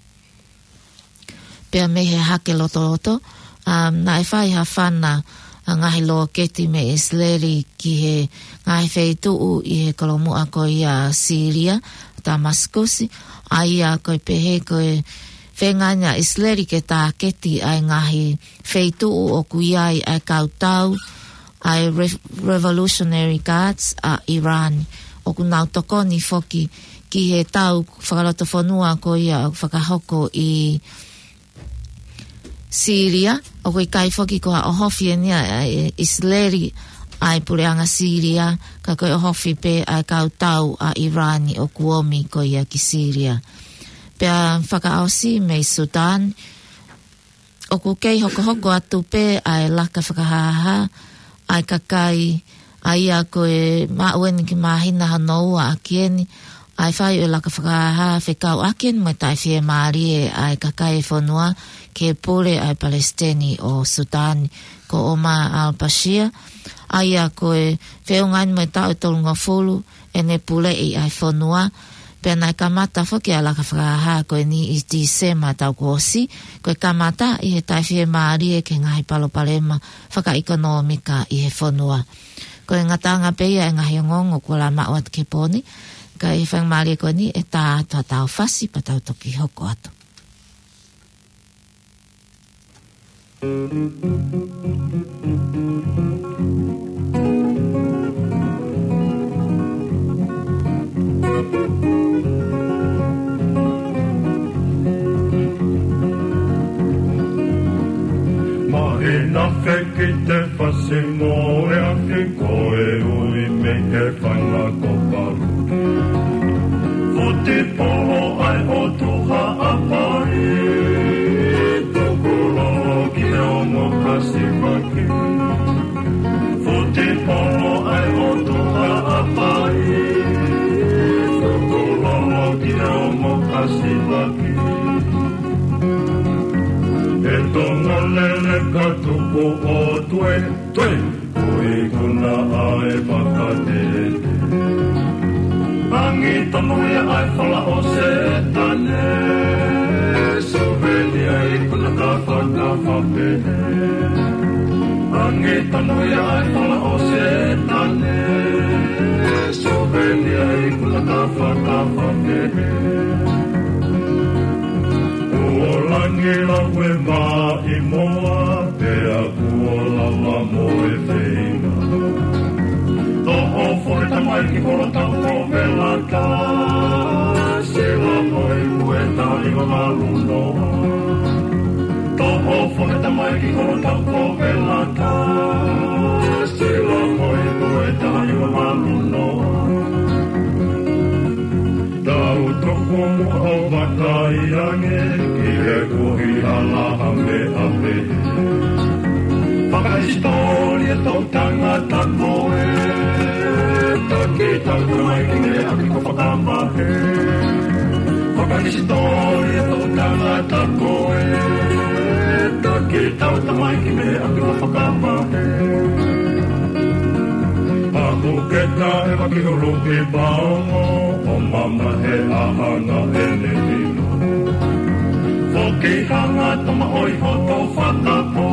Pea mei he hake lotoloto, um, naʻe fai ha fana ʻa e ngaahi lōketi mei ʻIsileli ki he ngaahi feituʻu ʻi he kolomuʻa ko ia Sīlia, Tamasikusi, ʻa ia ko e pehē ko e feinga ʻa ʻIsileli ke tāketi ʻa e ngaahi feituʻu ʻoku ʻi ai ʻa e kau tau ʻa e Re-, Revolutionary Guards ʻa ʻIrani. ʻOku nau tokoni foki ki he tau fakalotofonua ko ia ʻoku fakahoko ʻi Sīlia, ʻoku ʻikai foki ko ha ʻohofi eni ʻa ʻIsileli ʻa e puleʻanga Sīlia, ka ko e ʻohofi pē ʻa e kau tau ʻa ʻIrani ʻoku ʻomi ko ia ki Sīlia. Pea fakaʻosi mei Sutan, ʻoku kei hokohoko atu pē ʻa e laka fakahāhā ʻa e kakai, ʻa ia ko e maʻu eni ki māhina hono ua ʻaki eni ʻa e fai ʻo e laka fakahāhā fekauʻaki eni mo e taʻefiemālie ʻa e kakai e fonua ke pule ʻa e palesiteni ʻo Sutan ko Omar al-Bashir, ʻa ia ko e feʻunga eni mo e taʻu ʻe tolungofulu ʻene puleʻi ʻa e fonua. Pea naʻe kamata foki ʻa e laka fakahāhā ko eni ʻi Tīsema taʻu kuo ʻosi, ko e kamata ʻi he taʻefiemālie ki he ngaahi palopalema fakaʻekonōmika ʻi he fonua. Ko e ngataʻanga pē ia e ngaahi ongoongo kuo lava maʻu atu ki he pō ni, ka ʻi he faingamālie ko eni ʻe tā atu ha tau fasi pea tau toki hoko atu. Māhina fekite fasi mo e afi ko e ui mei he fanga kopalu. Futi polo ʻa e ʻOtua ʻa Haʻapai, tukulolo ki he ongo kasivaki. Futi polo ʻa e ʻOtua ʻa Haʻapai, tukulolo ki he ongo kasivaki. ʻE Tonga lele ka tuku ʻo tue, tue. Ko e ikuna ʻa e fakatete. Angi tonu ia ʻa e fala ʻo Sētane. Suveni ʻa e ikuna ka fakafapene. Angi tonu ia ʻa e fala ʻo Sētane. Suveni ʻa e ikuna ka fakafapene. Kuo langi lau e maʻimoa, pea kuo lava mo e feinga. Toʻo foʻi tamaiki kolo tau ko Velata, sila mo e kueta i mamalu noa. Toʻo foʻi tamaiki kolo tau ko Velata, sila mo e kueta i mamalu noa. Tau tuku muʻa ʻo vakai ange ki he kuohila ʻa Haʻapai. Fakahisitōlia tau tangata ko ē, taki tau tamaiki mei he ʻapi ko Fakamahe. Fakahisitōlia tau tangata ko ē, taki tau tamaiki mei he ʻapi ko Fakamahe. Paku ke ka e vaki hulu ki Paongo, ʻo mamahe ʻa Hanga ʻene hina. Foki Hanga tama ʻoi hoto fakapō,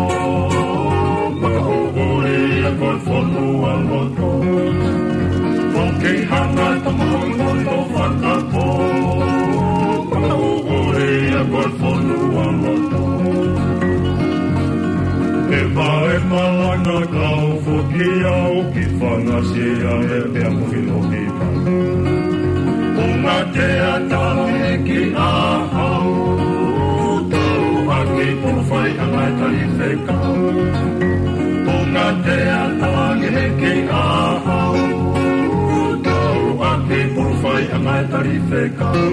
makaʻuʻuli ia ko e fonua loto. Foki Hanga tama ʻoi hoto fakapō, makaʻuʻuli ia ko e fonua loto. ʻE vae malanga kau foki au ki Fangasia ʻe pea muhi lohi. Ngaahi ʻatamai ki ʻahau, tau ʻaki pulu fai ʻa ngaahi tali fekau. Ngaahi ʻatamai ki ʻahau, tau ʻaki pulu fai ʻa ngaahi tali fekau.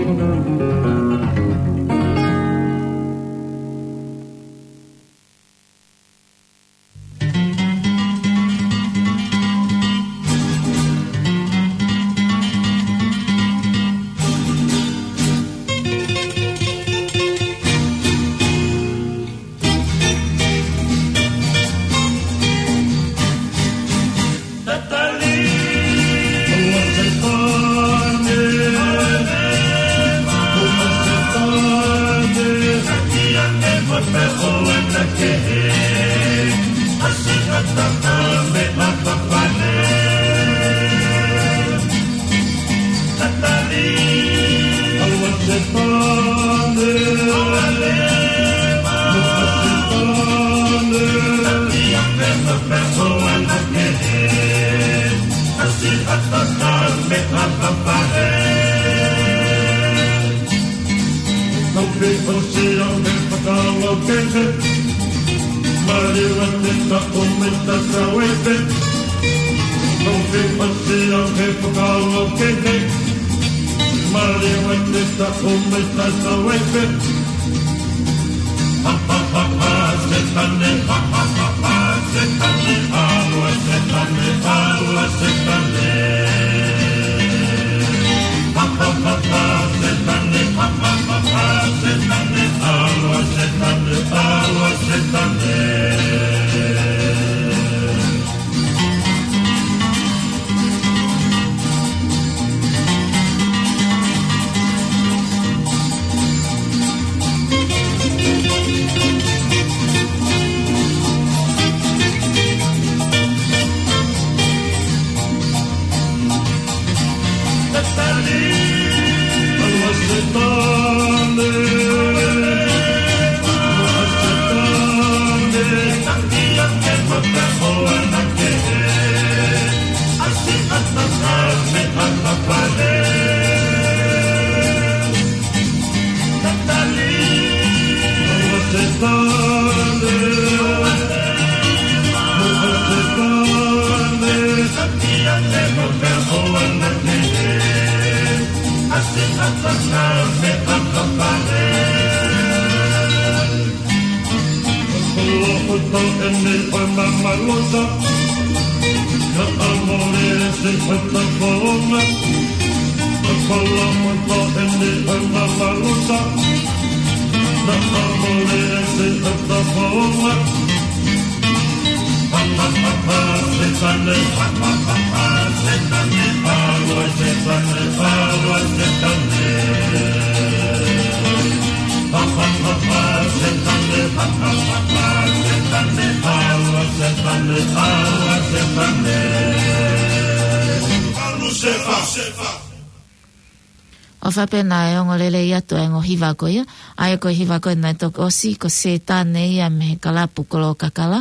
ʻOfa pē naʻe ongo lelei atu e ongo hiva ko ia, ʻa ia ko e hiva ko ē naʻe toki ʻosi, ko Sētane ia mei he kalapu Kolokakala,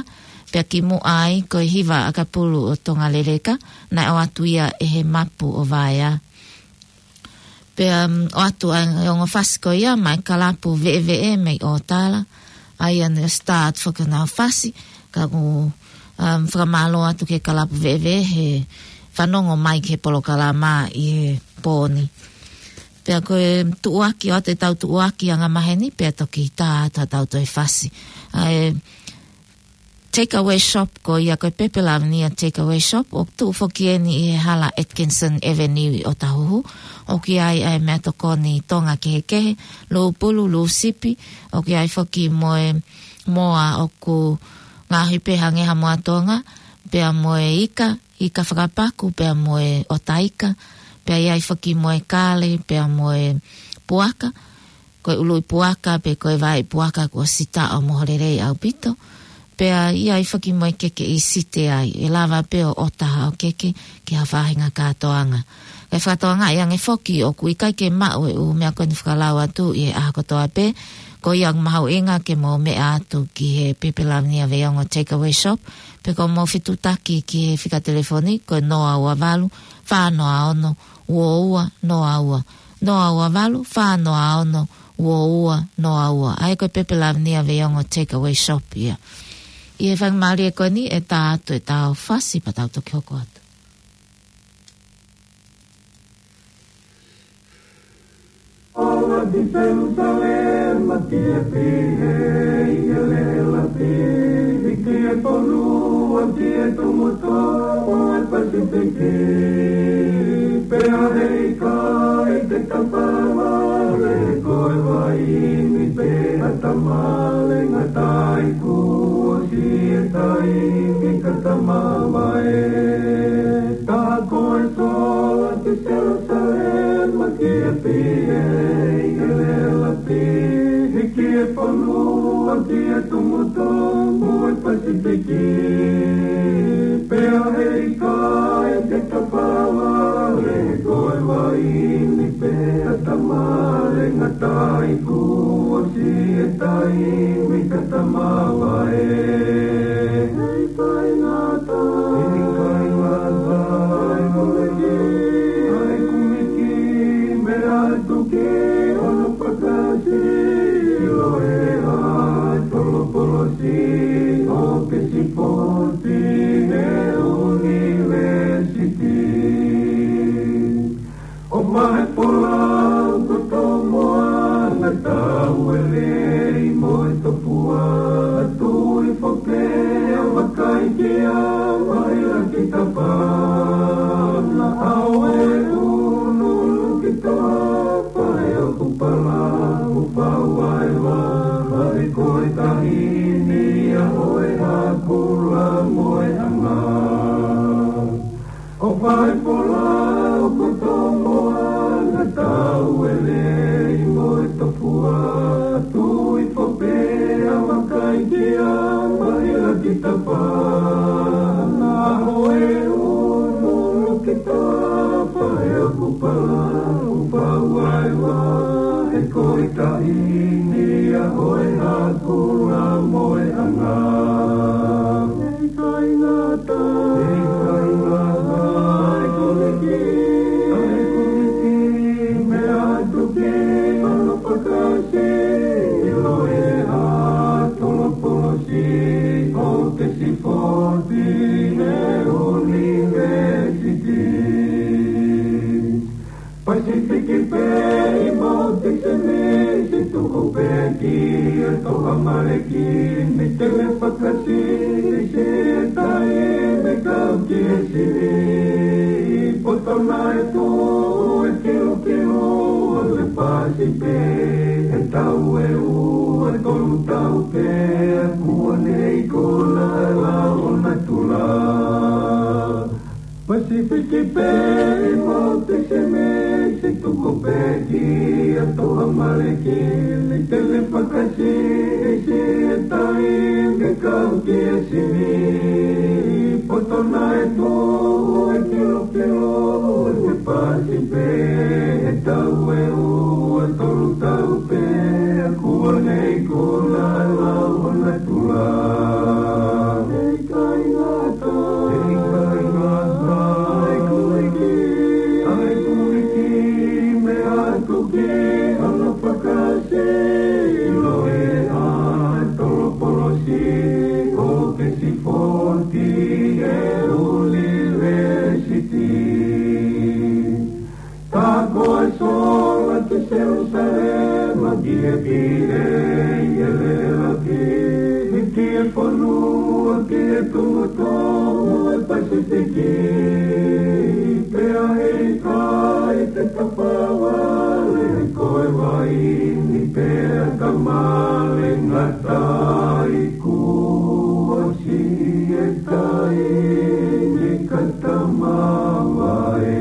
pea kimuʻa ai ko e hiva ʻakapulu ʻo Tonga Leleka, naʻe ʻoatu ia ʻe he mapu ʻo Vaea. Pea, um, ʻoatu ai e ongo fasi ko ia maʻa e kalapu Veʻeveʻe mei ʻŌtala, ʻa ia naʻe start foki ʻenau fasi, ka ʻoku, um, fakamālō atu ki he kalapu Veʻeveʻe he fanongo mai ki he polokalama ʻi he pō ni. Pea ko e tuʻuaki, ʻoatu ʻetau tuʻuaki angamaheni, pea toki tā atu haʻatau toe fasi. ʻA e takeaway shop ko ia ko e Pepe Lavinia Takeaway Shop, ʻoku tuʻu foki eni ʻi he hala Atkinson Avenue ʻi ʻŌtāhuhu. ʻOku ʻi ai ʻa e meʻatokoni Tonga kehekehe, lūpulu, lūsipi, ʻoku ʻi ai foki mo e moa ʻoku ngaohi pē hangē ha moa Tonga, pea mo e ika, ika fakapaku, pea mo e ʻota ika, pea ʻi ai foki mo e kale, pea mo e puaka, ko e ʻului puaka, pe ko e vai puaka kuo ʻosi taʻo moho lelei ʻaupito, pea ʻi ai foki mo e keke ʻi Site ai, ʻe lava pē ʻo ʻota haʻo keke ki ha faʻahinga kātoanga. Kae fakatokangaʻi ange foki ʻoku ʻikai ke maʻu e ʻū meʻa ko eni fakalau atu ʻi he ʻaho kotoa pē, ko ia ʻoku mahuʻinga ke mou meʻa atu ki he Pepe Lavinia Veiongo Takeaway Shop, pe ko hoʻomou fetuʻutaki ki he fika telefoni, ko e noa ua valu, fā noa ono, ua ua noa ua. noa ua valu, fā noa ono, ua ua, noa ua. ʻA ia ko e pepe Lavinia Veiongo Takeaway Shop ia. ʻI he faingamālie ko eni ʻe tā atu ʻetau fasi pea tau toki hoko atu. Awa ki Selusalema ki he pīhē ʻi he lēlapi, ki he fonua ki he tumu tō ʻo e Pasifiki. Pea he ʻikai te ta fāvale ko e vaini pea ta male ngata ai kuo ʻosi e taimi ka ta mavae. Ka ko e sola ki Selusalema ki he pīhē ʻi he lēlapi, ki he fonua ki he tumu tō ʻo e Pasifiki. Pea he ʻikai te ta fāvale ko e vaini pea ta male ngata ai kuo ʻosi e taimi ka ta mavae. He ʻikai ngata, he ʻikai ngata, ʻa e kumiki, ʻa e kumiki, meʻa atu ki hono fakasīloʻi ʻa e tolopolosi ʻo Oxford ʻi he ʻunivēsiti. ʻO faifolau ko Tomoana Tauelei mo e Tofua Tuifo pea vakai ki a maila ki tapa. Na au e unu ki tapa e oku pala ʻo fau ai wa, ʻa e ko e taʻahine ia ʻo e Hakula mo e Anga. ʻO faifolau ko Tomoana Tauelei mo e Tofua Tuifo pea vakai ki a maila ki tapa. Na au e unu ki tapa e oku pala ʻo fau ai wa, ʻa e ko e taʻahine ia ʻo e Hakula mo e Anga. ʻIkai ngata, ʻikai ngata, ʻa e kumiki, ʻa e kumiki, meʻa atu ki hono fakasīloʻi ʻa e tolopolosi ʻo Oxford ʻi he ʻunivēsiti. Pasifiki pē ʻi Mount Smith, tuku pē ki he Toʻa Maleki, ni tele fakasisi e taimi kau ki he sivi. Poto naʻe tuʻu e kilokiloa ʻo e Pasifiki, ʻe tau ʻe ua tolu tau pē, kuo ne ʻi kona ʻa e lao natula. Pasifiki pē ʻi Mount Smith, tuku pē ki he Toʻa Maleki, ni tele fakasisi e taimi kau ki he sivi. Poto naʻe tuʻu e kilokiloa ʻo e Pasifiki, ʻe tau ʻe ua tolu tau pē, kuo ne ʻi kona ʻa e lao natula. ʻIkai ngata, ʻikai ngata, ʻa e kumiki, ʻa e kumiki, meʻa atu ki hono fakasīloʻi ʻa e tolopolosi ʻo Oxford ʻi he ʻunivēsiti. Ka ko e sola ki Selusalema ki he pīhē ʻi he lēlapi, ki he fonua ki he tumu tō ʻo e Pasifiki. Pea he ʻikai te ta fāvale ko e vaini pea ta male ngata ai kuo ʻosi e taimi ka ta mavae.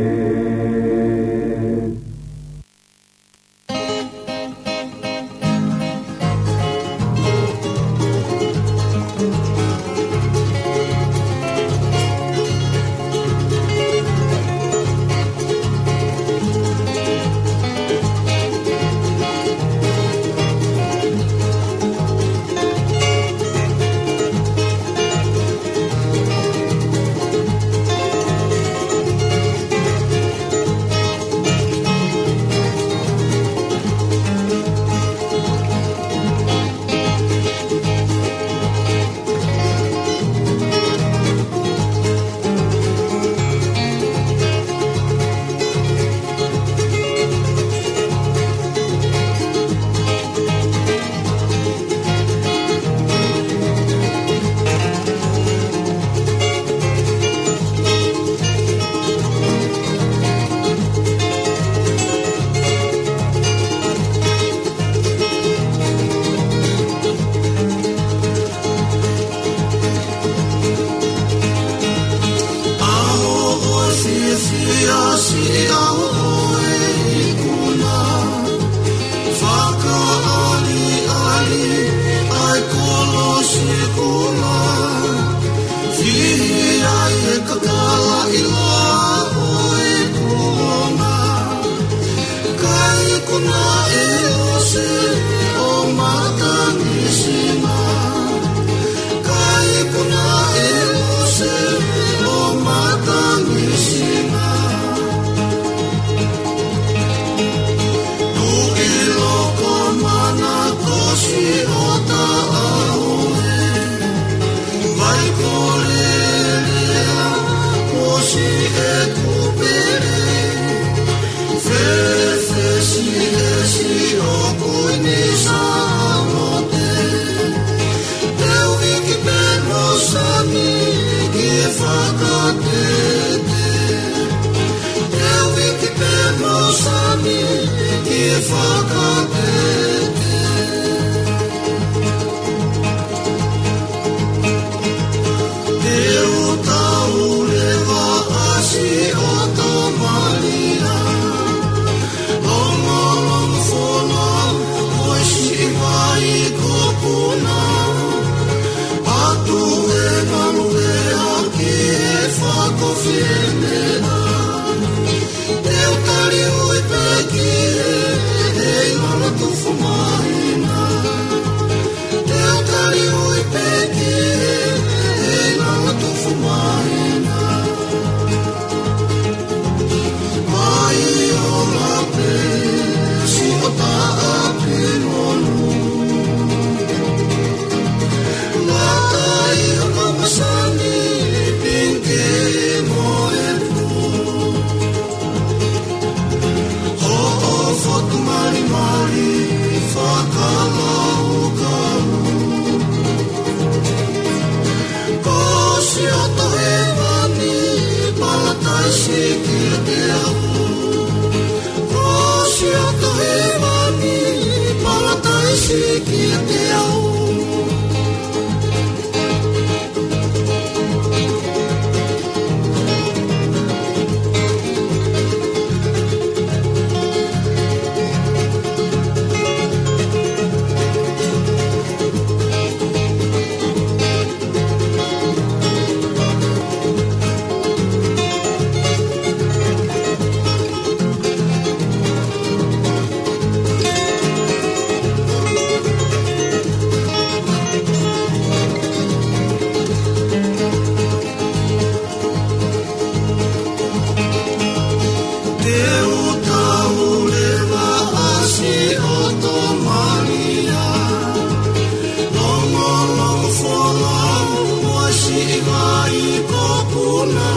Mai ko kuna,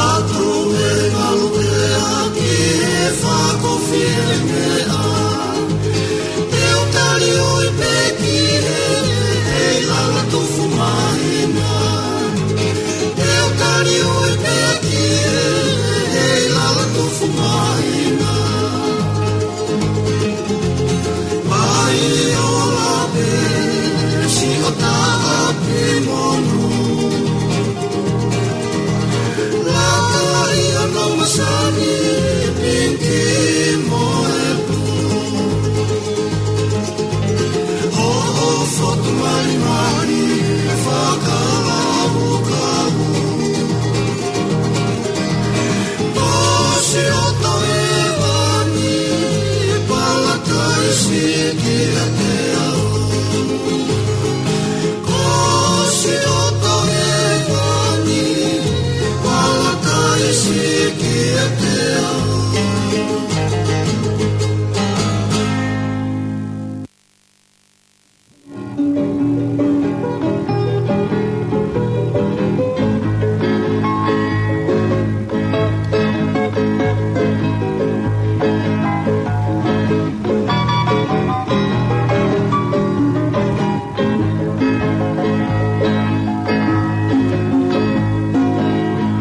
atu e ngalu e aki e fakafiemea. Te u tali ui pē ki he, he lala tufu mahina. Te u tali ui pē ki he, he lala tufu mahina. Mai ola pē, siʻo taʻaki monu. Laka ia no masani, pinki mo e pulu. Hoʻo fotu malimali, fakalaukau. Ko siʻoto hēvani, palataisi kiate au. Ko siʻoto hēvani, palataisi kiate au.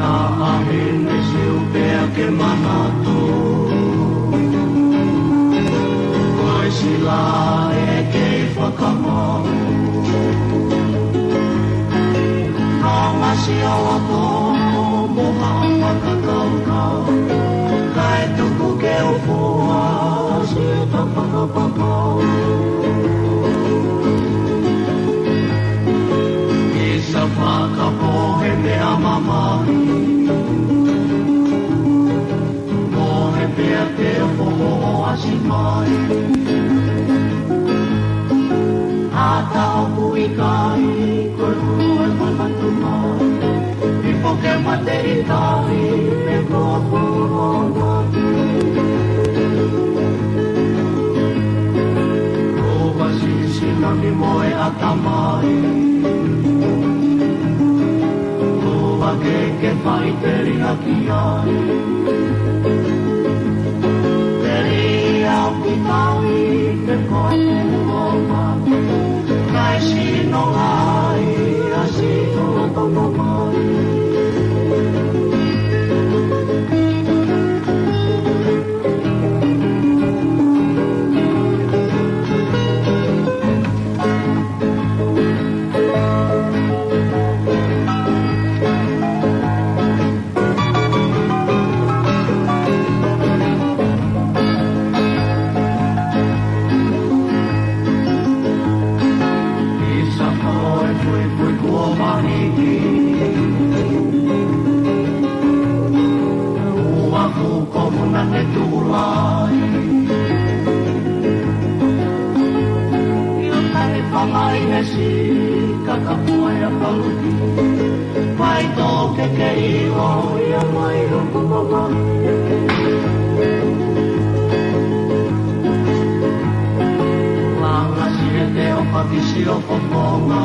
Taʻahine siu pea ke manatu. Ko e sila ʻe kei fakamau. Nonga siʻoto mo ha fakakaukau. Kae tuku ke u fua siʻeta fakapapau. ʻIsa fakapohe meʻa mamahi. Mohe pea te u foʻoasi mai. Ata ʻoku ʻikai, ko e kulu e manatu mai. Ifo ke mate ʻikai, me ko e kulu o mate. Ko e vasi sinami mo e ʻatamai. Ko e vake ke faʻiteliha ki ai. Teli au ki tai ke koe kuo ma. Kae sino ai a sino a toko mai. ʻIsa ko e fuifui kuo mahiki. Ua ku ko muna ne tuʻu lai. ʻIo kai fangai he si kakapua ia paluki. Mai tō ke ke ʻilo ia mai o kuko mai. Langa si e te o pakisi o kokonga.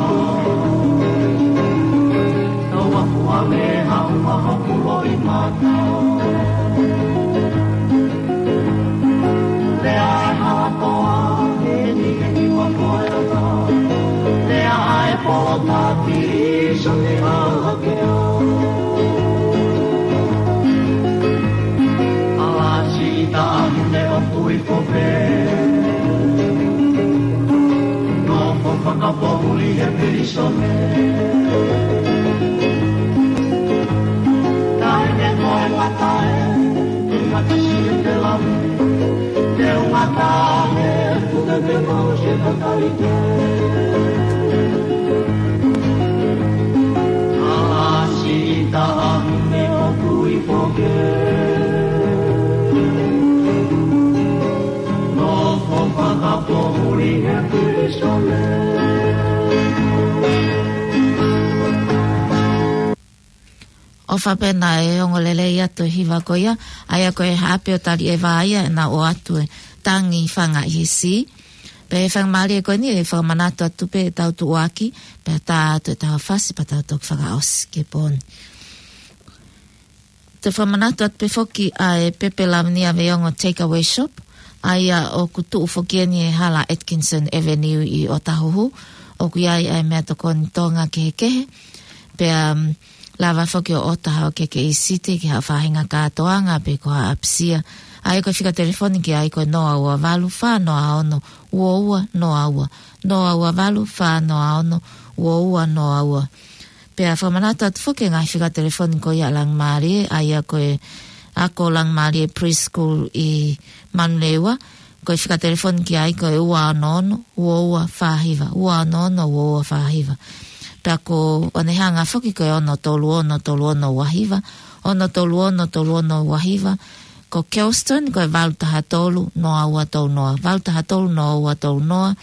Tau aku a me hau a hoku loʻimata. Lea e halakoa, heni, heni wa koe ata. Lea ai polo taki, so te ala ke a. Ala si ita ahune o kui kope. No ko fakapohuli he pilisone. Tae ne koe matae. Te mata si e te lami, te u mata he, kuka ke mau se kakalite. Ala si ita ahune o kui foke. No ko fakapohuli he pilisone. ʻOfa pē naʻe ongo lelei atu e hiva ko ia, ʻa ia ko e haʻape ʻo Taliʻeva ia ʻenau ʻoatu e tangi fanga ʻi he si. Pea ʻi he faingamālie ko eni ʻe fakamanatu atu pē ʻetau tuʻuaki, pea tā atu ʻetau fasi pea tau toki fakaʻosi ki he pō ni. Te u fakamanatu atu pē foki ʻa e Pepe Lavenia Veiongo Takeaway Shop, ʻa ia ʻoku tuʻu foki eni ʻi he hala Atkinson Avenue ʻi ʻŌtāhuhu, ʻoku ʻi ai ʻa e meʻatokoni Tonga kehekehe, pea, mm, lava foki ʻo ʻota haʻo keke ʻIsite ki ha faʻahinga kātoanga pe ko ha ʻapisia. ʻA ia ko e fika telefoni ki ai ko e noa ua valu fā noa ono ua ua noa ua, noa ua valu fā noa ono ua ua noa ua. Pea fakamanatu atu foki e ngaahi fika telefoni ko ia ʻa Langimālie, ʻa ia ko e ako Langimālie Preschool ʻi Manurewa, ko e fika telefoni ki ai ko e ua ono ono ua ua fā hiva, ua ono ono ua ua fā hiva. Pea ko ʻAnehaʻanga foki ko e ono tolu ono tolu ono ua hiva, ono tolu ono tolu ono ua hiva, ko Kelston ko e valu taha tolu noa ua tolu noa, valu taha tolu noa ua tolu noa,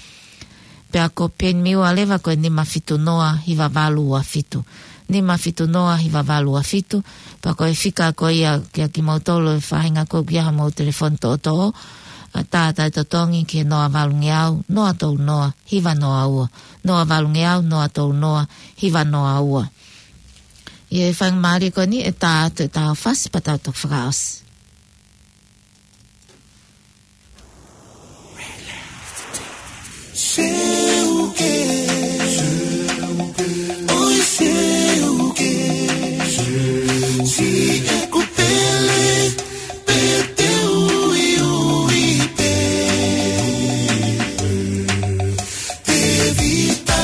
pea ko Penimiua leva ko e nima fitu noa hiva valu ua fitu. Nima fitu noa hiva valu ua fitu. Pea ko e fika ko ia kia kimoutolu e faʻahinga ko ia ʻoku ʻi ai haʻamou telefoni toʻotoʻo, ʻa, tā ʻa e totongi ki he noa valungeau noa tolu noa hiva noa ua. Noa valungeau noa tolu noa hiva noa ua. ʻI he faingamālie ko eni ʻe tā atu ʻetau fasi pea tau toki fakaʻosi. Seuke, ʻoi seuke, si e kupele, pe te uiui pē. Tevita,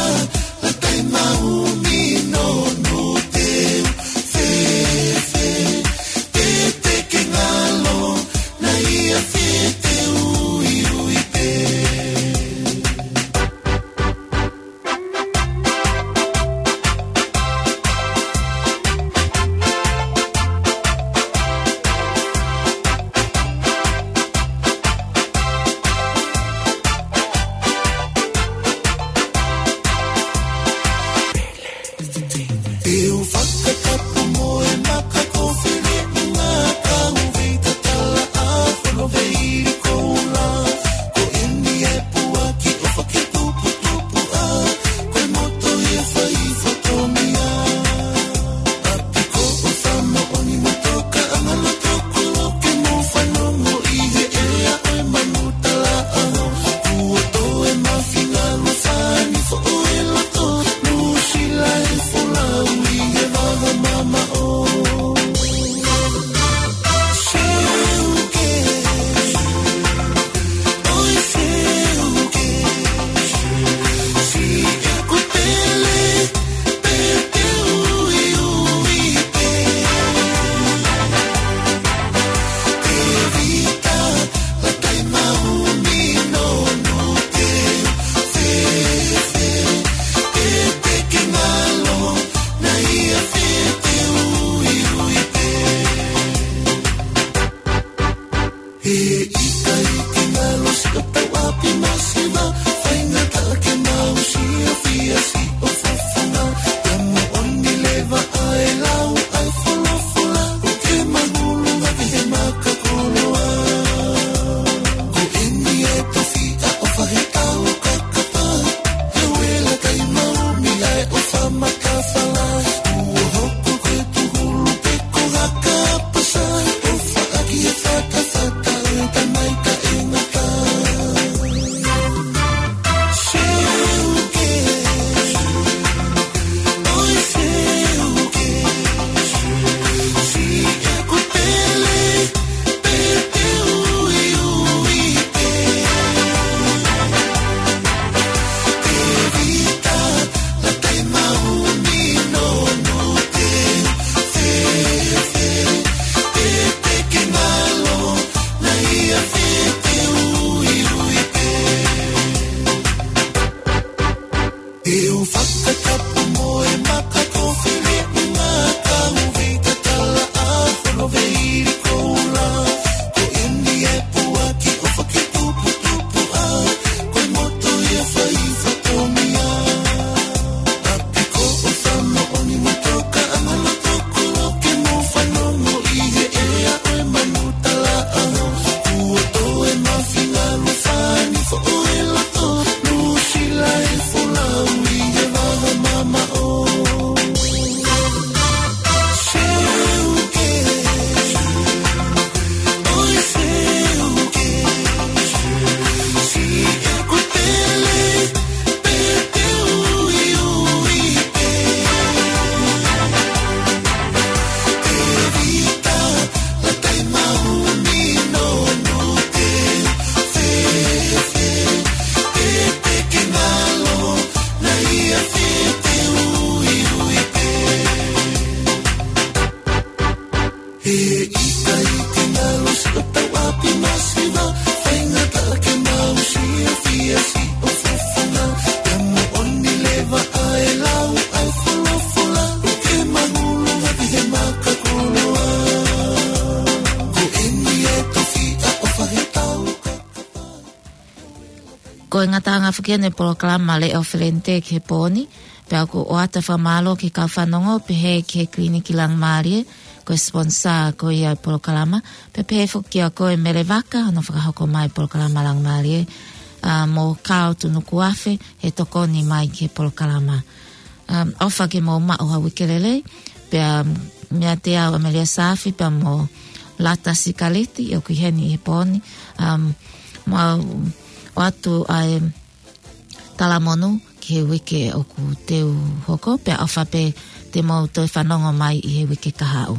Latai Maumi, Nonu Teu, Fefe, Tete Kengalo, Naia Fete, Uiui pē. Te u fakatapu mo e maka ko Fele Unga, ka u vei tatala a fono vei koula. Ko eni e puaki ʻo fake tuputupu a, ko e moto e fai fatongia. ʻApiko ʻo Samoa ni mo toka anga loto kolo ke mo fanongo ʻi he ʻea ʻo e manu tala aho. Kuo toe mafinga lo sani fo ʻo e loto. Nuʻusila e folau ʻi he vaha mamaʻo. Seuke, ʻoi seuke, si e kupele, pe te uiui pē. Tevita, Latai Maumi, Nonu Teu, Fefe, Tete Kengalo, Naia Fete, Uiui pē. He ʻikai ke ngalo siʻotau ʻapi masiva, faingataʻa ke mau siʻi fiasi ʻo fafanga. Ia moʻoni leva ʻa e lau ʻa e folofola, ʻoku ke mahulu ʻa he maka koloa. Ko eni e tofiʻa ʻo fahe au kakapa, he uela kai maumi ʻa e ʻofa matafala. Kuo hoko ko e tuhulu pe ko haka pasa, ʻofa ʻaki e fatafata ʻo e tamai taʻengata. Seuke, ʻoi seuke, si e kupele, pe te uiui pē. Tevita, Latai Maumi, Nonu Teu, Fefe, Tete Kengalo, Naia Fete, Uiui pē. Te u fakatapu mo e maka ko Fele Unga, ka u vei tatala a fono vei koula. Ko eni e puaki ʻo fake tuputupu a, ko e moto e fai fatongia. ʻApiko ʻo Samoa ni mo toka anga loto kolo ke mo fanongo ʻi he ʻea ʻo e manu tala aho. Kuo toe mafinga lo sani fo ʻo e loto. Ngataʻanga foki ʻene polokalama Leʻo Felente ki he pō ni, pea ʻoku ʻoatu e fakamālō ki he kau fanongo pehē ki he Kiliniki Langimālie, ko e sponsor ko ia e polokalama, pea pehē foki kia koe Mele Vaka, hono fakahoko mai e polokalama Langimālie, ʻa, mo Kao Tunukuafe, he tokoni mai ki he polokalama. Um, ʻofa ke mou maʻu ha uike lelei, pea, um, meiate au ʻAmelia Saafi, pea mo Lata Sikaliti, ʻoku ʻi heni ʻi he pō ni, um, mau ʻoatu ʻa e talamonū ki he uike ʻoku teu hoko, pea ʻofa pē te mou toe fanongo mai ʻi he uike kahaʻu.